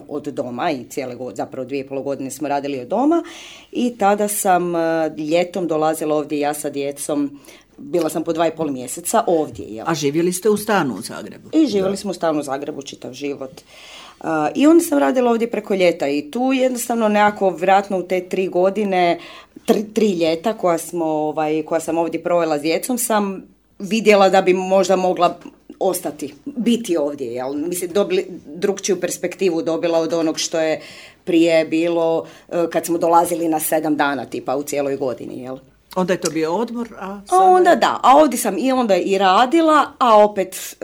od doma i cijele godine, zapravo 2,5 godine smo radili od doma i tada sam ljetom dolazila ovdje ja sa djecom, bila sam po 2,5 mjeseca ovdje. Jel? A živjeli ste u stanu u Zagrebu? I živjeli smo u stanu u Zagrebu čitav život. I onda sam radila ovdje preko ljeta i tu jednostavno nekako vjerojatno u te 3 godine, 3 ljeta koja sam ovdje provela s djecom sam vidjela da bi možda mogla ostati, biti ovdje, jel? Mislim, drugčiju perspektivu dobila od onog što je prije bilo kad smo dolazili na 7 dana tipa u cijeloj godini, jel? Onda je to bio odmor, a onda da, a ovdje sam i onda i radila, a opet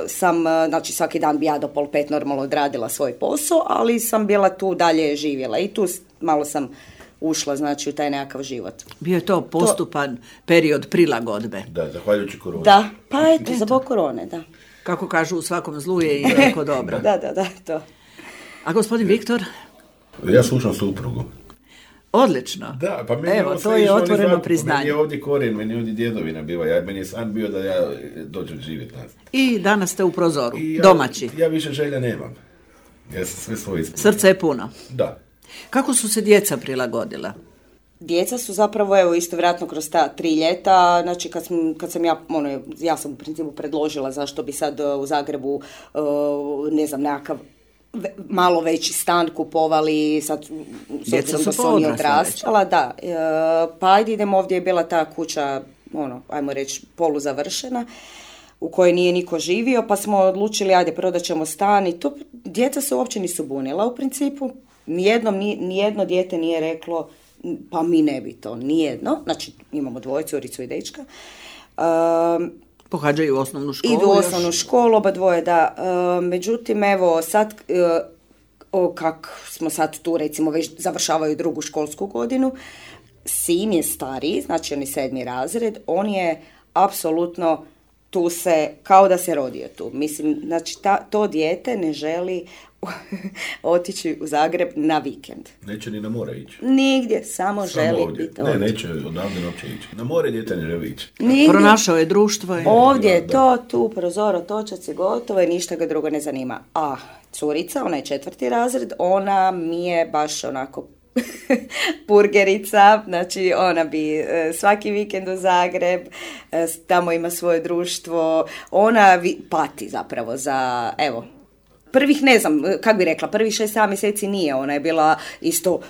sam, znači svaki dan bi ja do 4:30 normalno odradila svoj posao, ali sam bila tu dalje živjela i tu malo sam ušla, znači, u taj nekakav život. Bio je to postupan period prilagodbe. Da, zahvaljujući koroni. Da, pa eto, zbog korone, da. Kako kažu, u svakom zlu je i neko dobro. Da, to. A gospodin Viktor? Ja slušam suprugu. Odlično. Da, pa meni evo, to je otvoreno priznanje. Meni je ovdje korijen, meni je ovdje djedovina bila. Meni je san bio da ja dođem živjeti nazad. I danas ste u prozoru, domaći. Ja više želja nemam. Ja sam sve svoje ispunio. Srce je puno. Da. Kako su se djeca prilagodila? Djeca su zapravo, evo, isto vjerojatno kroz ta 3 ljeta, znači kad sam ja sam u principu predložila zašto bi sad u Zagrebu, ne znam, nekakav malo veći stan kupovali, sad s obzirom da su oni odrastala, da, pa ajde idemo, ovdje je bila ta kuća, ajmo reći, poluzavršena, u kojoj nije niko živio, pa smo odlučili, ajde, prodat ćemo stan i to, djeca se uopće nisu bunila u principu, nijedno dijete nije reklo, pa mi ne bi to, nijedno, znači imamo 2, curicu i dečka. Pohađaju osnovnu školu? Idu u osnovnu školu, oba dvoje, da. Međutim, evo, sad, kak smo sad tu, recimo, već završavaju 2. školsku godinu, sin je stariji, znači on je 7. razred, on je apsolutno tu kao da se rodio tu. Mislim, znači, to dijete ne želi otići u Zagreb na vikend. Neće ni na more ići. Nigdje, samo želi ovdje. biti ovdje. Neće odavde uopće ići. Na more dijete ne želi ići. Pronašao je društvo. Ovdje je to, tu prozor, otočac je gotovo i ništa ga drugo ne zanima. A curica, ona je 4. razred, ona mi je baš onako purgerica, znači ona bi svaki vikend u Zagreb, tamo ima svoje društvo, ona pati zapravo za, evo, prvih, ne znam, kako bi rekla, prvih 6-7 mjeseci nije, ona je bila isto,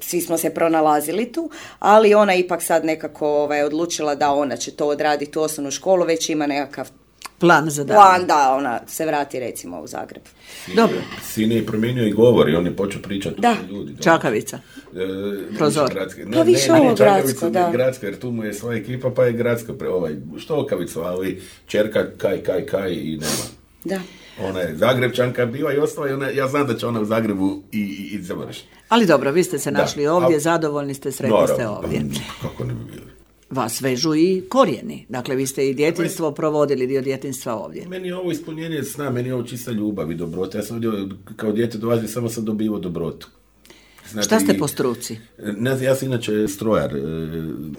svi smo se pronalazili tu, ali ona ipak sad nekako odlučila da ona će to odraditi u osnovnu školu, već ima nekakav plan za dan. Plan da ona se vrati recimo u Zagreb. Dobro. Sin je promijenio i govor i on je počeo pričati o ljudi. Čakavica. Prozor. Pa više ovo gradsko, da. Gradsko, jer tu mu je svoja ekipa, pa je gradsko, štokavicu, ali čerka kaj i nema. Da. Ona je Zagrebčanka bila i ostala, ja znam da će ona u Zagrebu i završiti. Ali dobro, vi ste se našli ovdje, zadovoljni ste, sretni ste ovdje. Kako ne bi bili? Vas vežu i korijeni. Dakle, vi ste i djetinjstvo provodili, dio djetinjstva ovdje. Meni je ovo ispunjenje sna, meni je ovo čista ljubav i dobrota. Ja sam ovdje kao dijete dolazio, samo sam dobivao dobrotu. Znate, šta ste po struci? Ja sam inače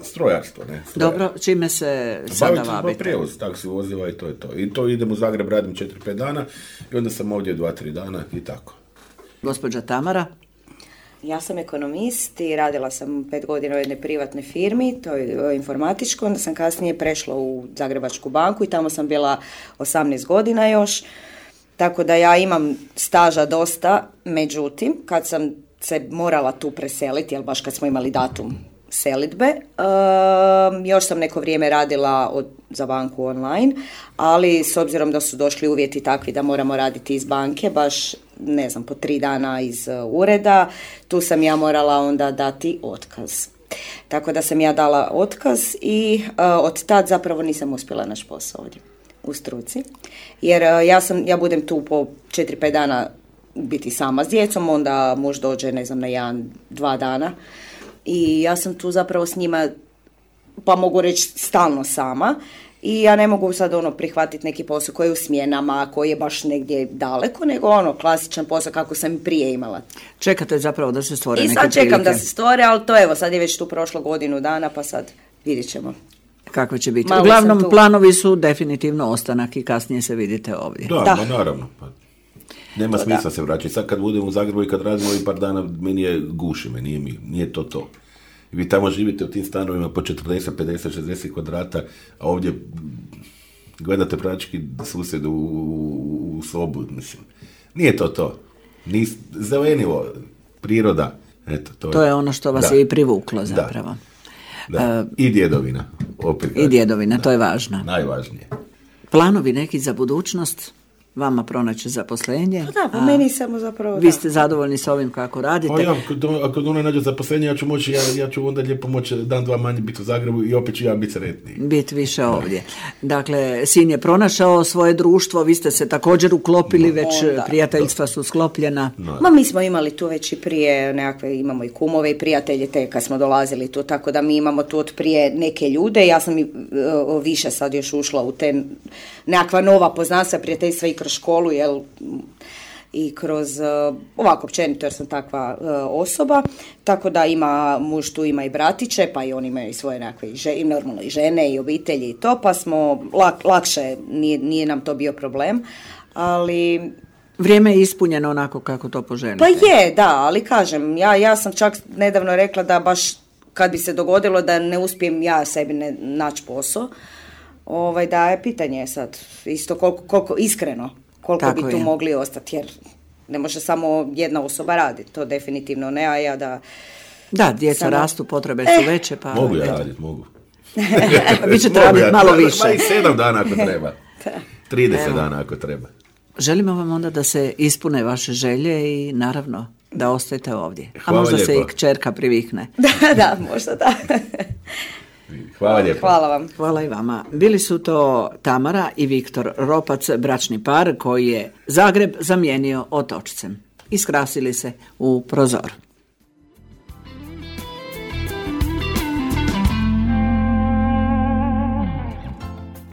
strojarstvo. Ne? Dobro, čime se sada bavite? Prijevoz, taksi vozila i to je to. I to idem u Zagreb, radim 4-5 dana i onda sam ovdje 2-3 dana i tako. Gospođa Tamara? Ja sam ekonomist i radila sam 5 godina u jednoj privatnoj firmi, to je informatičko, onda sam kasnije prešla u Zagrebačku banku i tamo sam bila 18 godina još, tako da ja imam staža dosta, međutim, kad sam se morala tu preseliti, jer baš kad smo imali datum selidbe, još sam neko vrijeme radila za banku online, ali s obzirom da su došli uvjeti takvi da moramo raditi iz banke, baš ne znam, po 3 dana iz ureda, tu sam ja morala onda dati otkaz. Tako da sam ja dala otkaz i od tad zapravo nisam uspjela naš posao ovdje u struci, jer ja budem tu po 4-5 dana biti sama s djecom, onda muž dođe, ne znam, na 1-2 dana i ja sam tu zapravo s njima, pa mogu reći stalno sama, i ja ne mogu sad prihvatiti neki posao koji je u smjenama, koji je baš negdje daleko, nego klasičan posao kako sam i prije imala. Čekate zapravo da se stvore neke prilike. I sad čekam da se stvore, ali to evo, sad je već tu prošlo godinu dana, pa sad vidjet ćemo. Kako će biti? Uglavnom, planovi su definitivno ostanak i kasnije se vidite ovdje. Da. Naravno. Pa. Nema smisla se vraćati. Sad kad budem u Zagrebu i kad radimo i par dana, meni je guši, nije to. Vi tamo živite u tim stanovima po 40, 50, 60 kvadrata, a ovdje gledate praktički susjedu u sobu, mislim. Nije to. Zelenivo, priroda. Eto, to je ono što vas je i privuklo zapravo. Da. I djedovina. I djedovina, to je važno. Najvažnije. Planovi neki za budućnost? Vama pronaći zaposlenje. Da, po meni samo zapravo. Vi ste zadovoljni s ovim kako radite? Ako ona nađe zaposlenje, ja ću onda lijepo moći dan, dva manje biti u Zagrebu i opet ću ja biti sretniji. Biti više ovdje. Dakle, sin je pronašao svoje društvo, vi ste se također uklopili, već prijateljstva su sklopljena. Mi smo imali tu već i prije nekakve, imamo i kumove i prijatelje te kad smo dolazili tu, tako da mi imamo tu od prije neke ljude. Ja sam i više sad još ušla u te nekakva nova poznanstva, prijateljstva i kroz školu, i kroz ovako općenito jer sam takva osoba, tako da ima muž tu, ima i bratiće, pa i oni imaju svoje nekakve normalno i žene i obitelji i to, pa smo lakše, nije nam to bio problem, ali vrijeme je ispunjeno onako kako to poželite. Pa je, da, ali kažem, ja sam čak nedavno rekla da baš kad bi se dogodilo da ne uspijem ja sebi naći posao, da je pitanje sad isto koliko iskreno, koliko tako bi tu mogli ostati, jer ne može samo jedna osoba raditi, to definitivno ne, a ja da... Da, djeca rastu, potrebe su veće, pa... Mogu ja raditi, mogu. Vi ćete raditi malo više. Ma i 7 dana ako treba, 30 dana ako treba. Želimo vam onda da se ispune vaše želje i naravno da ostajete ovdje. Hvala a možda lijepo. se i kćerka privikne. Da, možda da. Hvala lijepo. Hvala vam. Hvala i vama. Bili su to Tamara i Viktor Ropac, bračni par koji je Zagreb zamijenio otočcem. Iskrasili se u prozoru.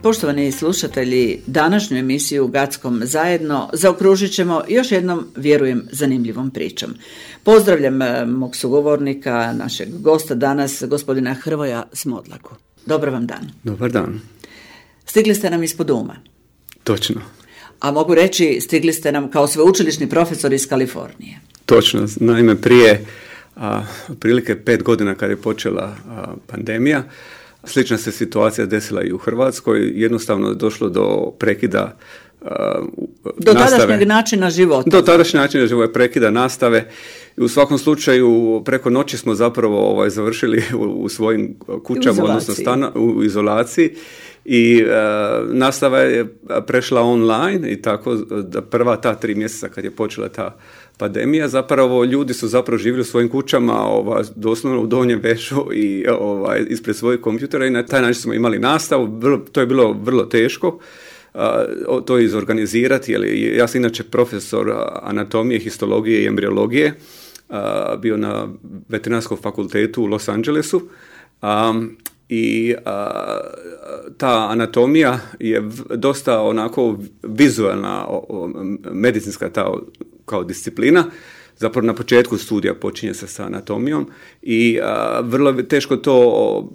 Poštovani slušatelji, današnju emisiju Gackom zajedno zaokružit ćemo još jednom, vjerujem, zanimljivom pričom. Pozdravljam mog sugovornika, našeg gosta danas, gospodina Hrvoja Smodlaku. Dobar vam dan. Dobar dan. Stigli ste nam ispod uma. Točno. A mogu reći, stigli ste nam kao sveučilišni profesor iz Kalifornije. Točno. Naime, prije otprilike 5 godina kad je počela pandemija, slična se situacija desila i u Hrvatskoj. Jednostavno je došlo do prekida do tadašnjeg načina života. Do tadašnjeg načina života, prekida nastave. I u svakom slučaju preko noći smo zapravo završili u svojim kućama, odnosno u izolaciji. I nastava je prešla online i tako da prva ta 3 mjeseca kad je počela ta pandemija, zapravo ljudi su zapravo živjeli u svojim kućama, doslovno u donjem vešu i ispred svojih kompjutera i na taj način smo imali nastavu. To je bilo vrlo teško to izorganizirati, jer ja sam inače profesor anatomije, histologije i embriologije, bio na veterinarskom fakultetu u Los Angelesu. I ta anatomija je dosta onako vizualna, medicinska kao disciplina. Zapravo na početku studija počinje se sa anatomijom i vrlo je teško to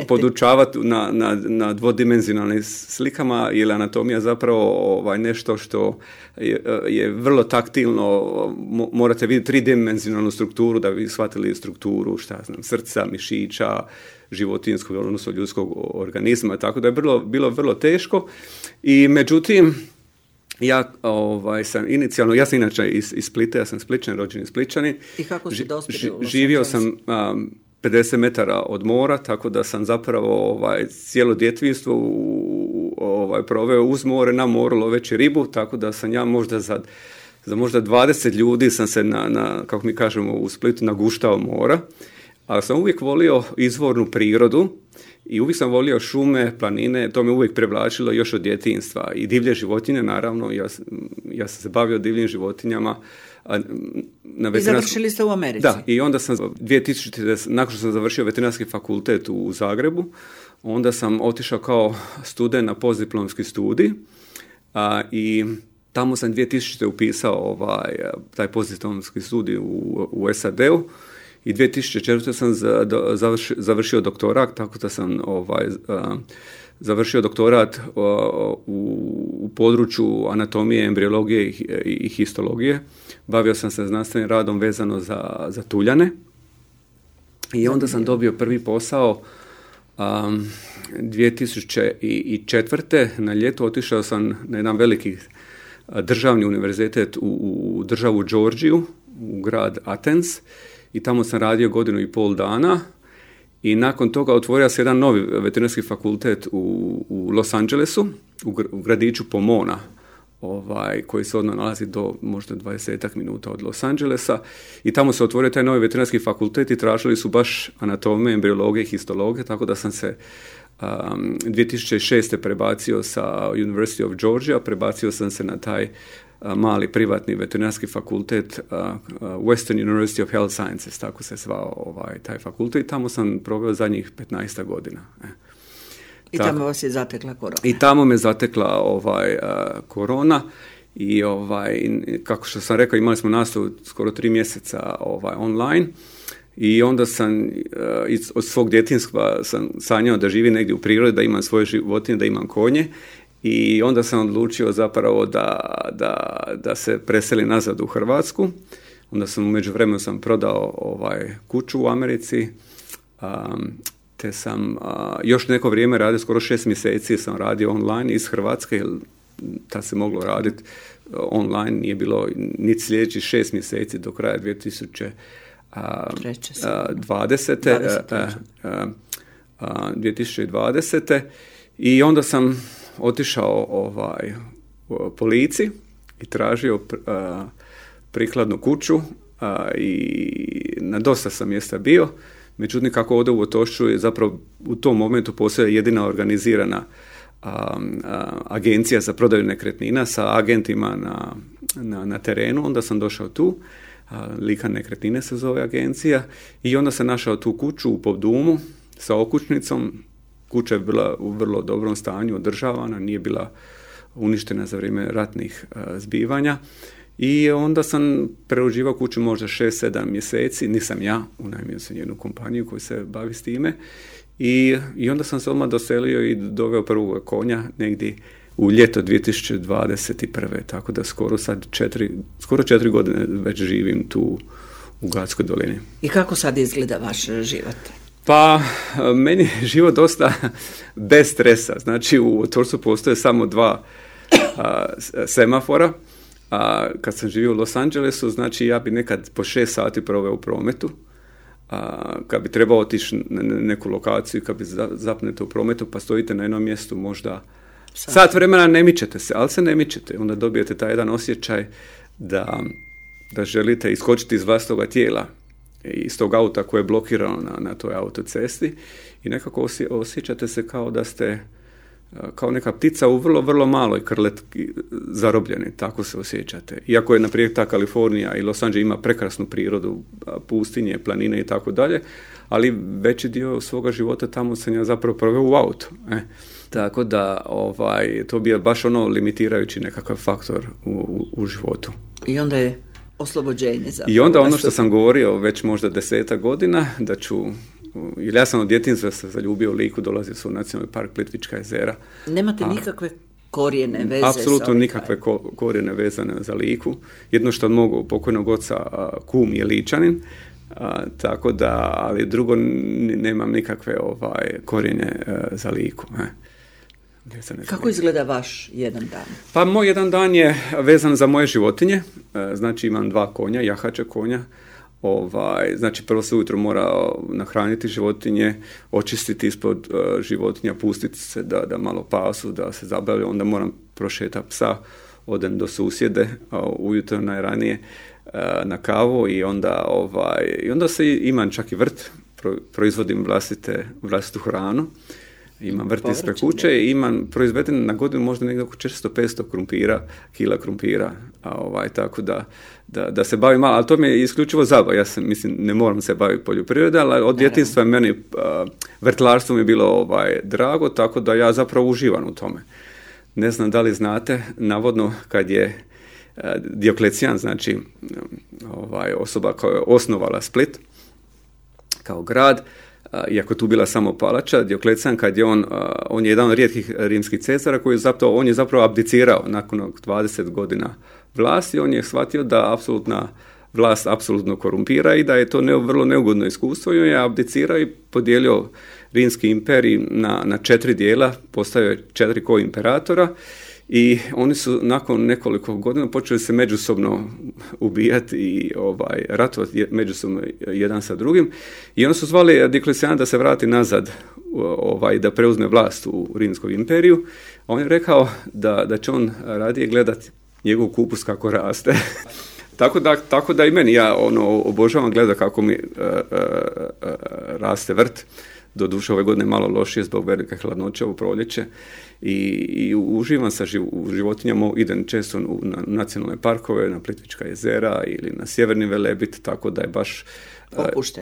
podučavati na dvodimenzionalnim slikama, jer anatomija zapravo nešto što je vrlo taktilno. Morate vidjeti 3-dimenzionalnu strukturu da bi shvatili strukturu srca, mišića, životinjskog, odnosno ljudskog organizma, tako da je bilo vrlo teško. I međutim, ja sam inicijalno, ja sam inače iz Splita, ja sam Spličan, rođeni Spličanin. I kako ste dospjeli? Živio sam 50 metara od mora, tako da sam zapravo cijelo djetinjstvo proveo uz more, na moru loveći ribu, tako da sam ja možda za možda 20 ljudi sam se kako mi kažemo u Splitu, naguštao mora, ali sam uvijek volio izvornu prirodu i uvijek sam volio šume, planine, to me uvijek privlačilo još od djetinjstva. I divlje životinje, naravno, ja sam se bavio divljim životinjama. I završili ste u Americi? Da, i onda sam 2000, nakon što sam završio veterinarski fakultet u Zagrebu, onda sam otišao kao student na postdiplomski studij i tamo sam 2000. upisao taj postdiplomski studij u SAD-u i 2004. sam završio doktorat, tako da sam završio doktorat u području anatomije, embriologije i histologije. Bavio sam se znanstvenim radom vezano za tuljane i onda sam dobio prvi posao 2004. na ljetu. Otišao sam na jedan veliki državni univerzitet u državu Georgiju, u grad Athens, i tamo sam radio 1.5 godina i nakon toga otvorio se jedan novi veterinarski fakultet u Los Angelesu, u gradiću Pomona, koji se odmah nalazi do možda 20 minuta od Los Angelesa, i tamo se otvorio taj novi veterinarski fakultet i tražili su baš anatomije, embriologije i histologije, tako da sam se 2006. prebacio sa University of Georgia, prebacio sam se na taj mali privatni veterinarski fakultet Western University of Health Sciences, tako se zvao taj fakultet, i tamo sam proveo zadnjih 15 godina. I tamo vas je zatekla korona. I tamo me zatekla korona i kako što sam rekao, imali smo nastavu skoro 3 mjeseca online, i onda sam od svog djetinjstva sam sanjao da živim negdje u prirodi, da imam svoje životinje, da imam konje, i onda sam odlučio zapravo da se preselim nazad u Hrvatsku. Onda sam u međuvremenu prodao kuću u Americi, te sam još neko vrijeme radio, skoro 6 mjeseci sam radio online iz Hrvatske, jer tad se moglo raditi online, nije bilo niti sljedećih 6 mjeseci do kraja 2020. I onda sam otišao policiji i tražio prikladnu kuću i na dosta sam mjesta bio. Međutim, kako ovdje u Otočcu je zapravo u tom momentu postoje jedina organizirana agencija za prodaju nekretnina sa agentima na terenu, onda sam došao tu. Likan nekretnine se zove agencija, i onda sam našao tu kuću u Povdumu sa okućnicom. Kuća je bila u vrlo dobrom stanju, održavana, nije bila uništena za vrijeme ratnih zbivanja, i onda sam preuživao kuću možda 6-7 mjeseci, nisam ja, unajmio sam jednu kompaniju koja se bavi s time, i onda sam se odmah doselio i doveo prvog konja negdje u ljeto 2021. Tako da skoro 4 godine već živim tu u Gatskoj dolini. I kako sad izgleda vaš život? Pa, meni je život dosta bez stresa. Znači, u Otočcu postoje samo 2 semafora. Kad sam živio u Los Angelesu, znači ja bi nekad po 6 sati proveo u prometu. Kad bi trebao otići na neku lokaciju, kad bi zapnete u prometu, pa stojite na jednom mjestu možda sat vremena, ne mičete se, ali se ne mičete. Onda dobijete taj jedan osjećaj da želite iskočiti iz vlastitoga tijela, iz tog auta koje je blokirano na toj autocesti, i nekako osjećate se kao da ste kao neka ptica u vrlo, vrlo maloj krletki zarobljeni, tako se osjećate. Iako je, naprijed, ta Kalifornija i Los Angeles ima prekrasnu prirodu, pustinje, planine i tako dalje, ali veći dio svoga života tamo sam ja zapravo proveo u autu. Tako da to bi je baš limitirajući nekakav faktor u životu. I onda je oslobođenje zapravo. I onda ono što sam govorio već možda 10 godina, da ću, jer ja sam od djetinjstva se zaljubio u Liku, dolazio sam u Nacionalni park Plitvička jezera. Nemate nikakve korijene veze? Apsolutno nikakve korijene vezane za Liku. Jedno što od mog pokojnog oca, kum je Ličanin, tako da, ali drugo nemam nikakve korijenje za Liku. Kako izgleda vaš jedan dan? Pa moj jedan dan je vezan za moje životinje. Znači imam 2 konja, jahače konja. Znači prvo se ujutro mora nahraniti životinje, očistiti ispod životinja, pustiti se da malo pasu, da se zabavlja, onda moram prošetati psa, odem do susjede ujutro najranije na kavu, i onda se imam čak i vrt, proizvodim vlastitu hranu. Imam vrt ispred kuće i imam proizveden na godinu možda negdje oko 400-500 kila krumpira. Tako da se bavim malo, ali to mi je isključivo zabava. Ja mislim, ne moram se baviti poljoprivredom, ali od djetinjstva meni vrtlarstvo mi je bilo drago, tako da ja zapravo uživam u tome. Ne znam da li znate, navodno kad je Dioklecijan, znači osoba koja je osnovala Split kao grad, iako tu bila samo palača, Dioklecijan kad je on je jedan od rijetkih rimskih cesara koji on je zapravo abdicirao nakon 20 godina vlasti, on je shvatio da apsolutna vlast apsolutno korumpira i da je to vrlo neugodno iskustvo i on je abdicirao i podijelio rimski imperij na 4 dijela, postavio je 4 koimperatora i oni su nakon nekoliko godina počeli se međusobno ubijati i ratovati međusobno jedan sa drugim i oni su zvali Dioklecijana da se vrati nazad, da preuzme vlast u Rimskom imperiju. On je rekao da će on radije gledati njegov kupus kako raste. Tako da i meni, ja obožavam gledati kako mi raste vrt. Doduše ove godine malo lošije zbog velike hladnoće u proljeće i uživam sa životinjama, idem često na nacionalne parkove, na Plitvička jezera ili na Sjeverni Velebit, tako da je baš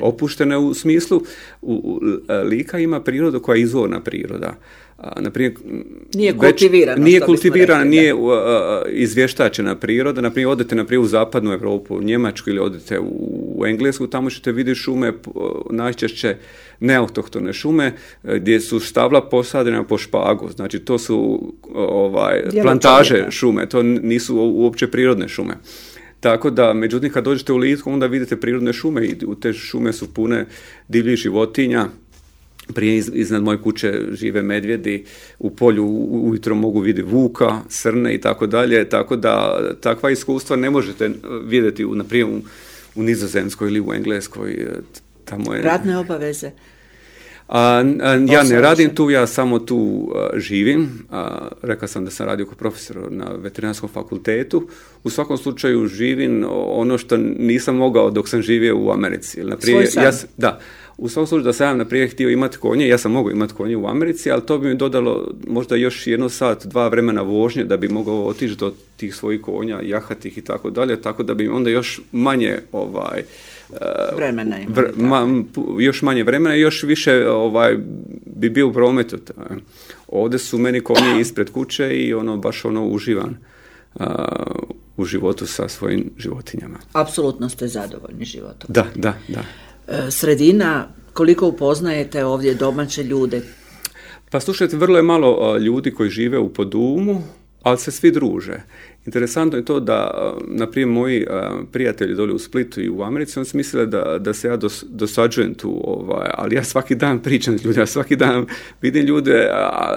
opuštene u smislu. Lika ima prirodu koja je izvorna priroda. Naprimjer, nije kultivirana, nije izvještačena priroda. Naprimjer, odete u zapadnu Europu, u Njemačku ili odete u Englesku, tamo ćete vidjeti šume, najčešće neautohtone šume, gdje su stabla posadena po špagu. Znači, to su plantaže šume, to nisu uopće prirodne šume. Tako da, međutim, kad dođete u Liku, onda vidite prirodne šume i u te šume su pune divljih životinja. Prije iznad moje kuće žive medvjedi, u polju ujutro mogu vidjeti vuka, srne i tako dalje, tako da takva iskustva ne možete vidjeti naprimjer u Nizozemskoj ili u Engleskoj. Tamo je... Radne obaveze? Ja ne radim tu, ja samo tu živim. Rekao sam da sam radio kao profesor na veterinarskom fakultetu. U svakom slučaju živim ono što nisam mogao dok sam živio u Americi. Svoj san? U svakom slučaju da sam ja naprijed htio imati konje, ja sam mogao imati konje u Americi, ali to bi mi dodalo možda još 1 sat, 2 vremena vožnje da bi mogao otići do tih svojih konja, jahati ih i tako dalje, tako da bi onda još manje vremena još manje vremena i još više bi bio u prometu. Ovdje su meni konje ispred kuće i baš uživan u životu sa svojim životinjama. Apsolutno ste zadovoljni životom. Da. Sredina, koliko upoznajete ovdje domaće ljude? Pa slušajte, vrlo je malo ljudi koji žive u Podumu, ali se svi druže. Interesantno je to da, naprimjer, moji prijatelji doli u Splitu i u Americi, oni su mislili da se ja dosađujem tu, ali ja svaki dan pričam s ljudima, svaki dan vidim ljude,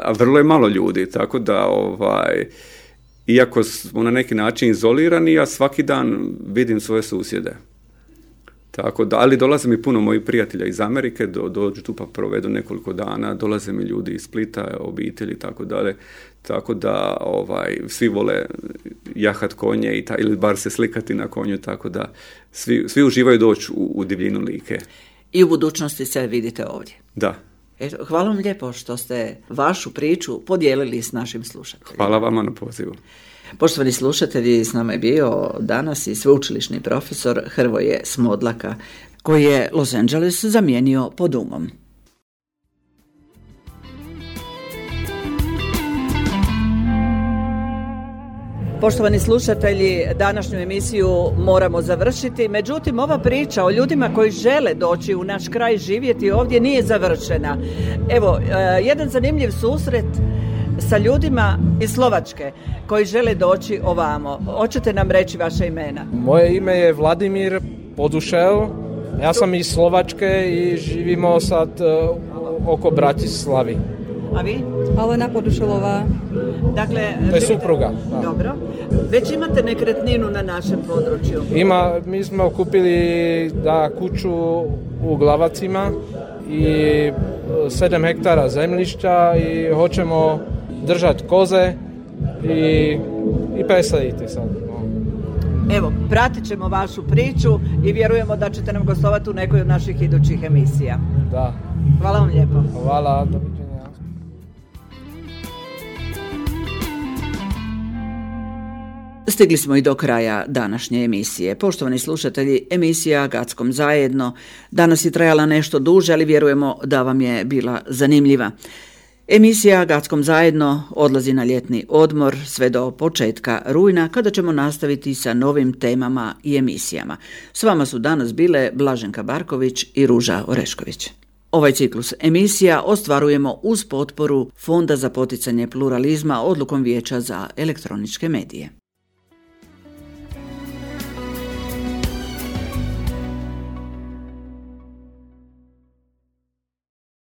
a vrlo je malo ljudi, tako da, iako smo na neki način izolirani, ja svaki dan vidim svoje susjede. Tako da, ali dolaze mi puno mojih prijatelja iz Amerike, dođu tu pa provedu nekoliko dana, dolaze mi ljudi iz Splita, obitelji i tako dalje, tako da svi vole jahat konje ili bar se slikati na konju, tako da svi uživaju doći u divljinu Like. I u budućnosti se vidite ovdje. Da. Hvala vam lijepo što ste vašu priču podijelili s našim slušateljima. Hvala vama na pozivu. Poštovani slušatelji, s nama je bio danas i sveučilišni profesor Hrvoje Smodlaka, koji je Los Angeles zamijenio Podumom. Poštovani slušatelji, današnju emisiju moramo završiti, međutim ova priča o ljudima koji žele doći u naš kraj živjeti ovdje nije završena. Evo, jedan zanimljiv susret sa ljudima iz Slovačke koji žele doći ovamo. Hoćete nam reći vaše imena? Moje ime je Vladimír Podušel. Ja sam iz Slovačke i živimo sad oko Bratislavy. A vi? Alena Podušelová. Dakle, to je supruga. Da. Dobro. Već imate nekretninu na našem području? Mi smo kupili kuću u Glavacima i 7 hektara zemljišta i hoćemo držati koze i presaditi sad. Evo, pratit ćemo vašu priču i vjerujemo da ćete nam gostovati u nekoj od naših idućih emisija. Da. Hvala vam lijepo. Hvala, doviđenja. Stigli smo i do kraja današnje emisije. Poštovani slušatelji, emisija Gackom zajedno danas je trajala nešto duže, ali vjerujemo da vam je bila zanimljiva. Emisija Gackom zajedno odlazi na ljetni odmor sve do početka rujna, kada ćemo nastaviti sa novim temama i emisijama. S vama su danas bile Blaženka Barković i Ruža Orešković. Ovaj ciklus emisija ostvarujemo uz potporu Fonda za poticanje pluralizma odlukom Vijeća za elektroničke medije.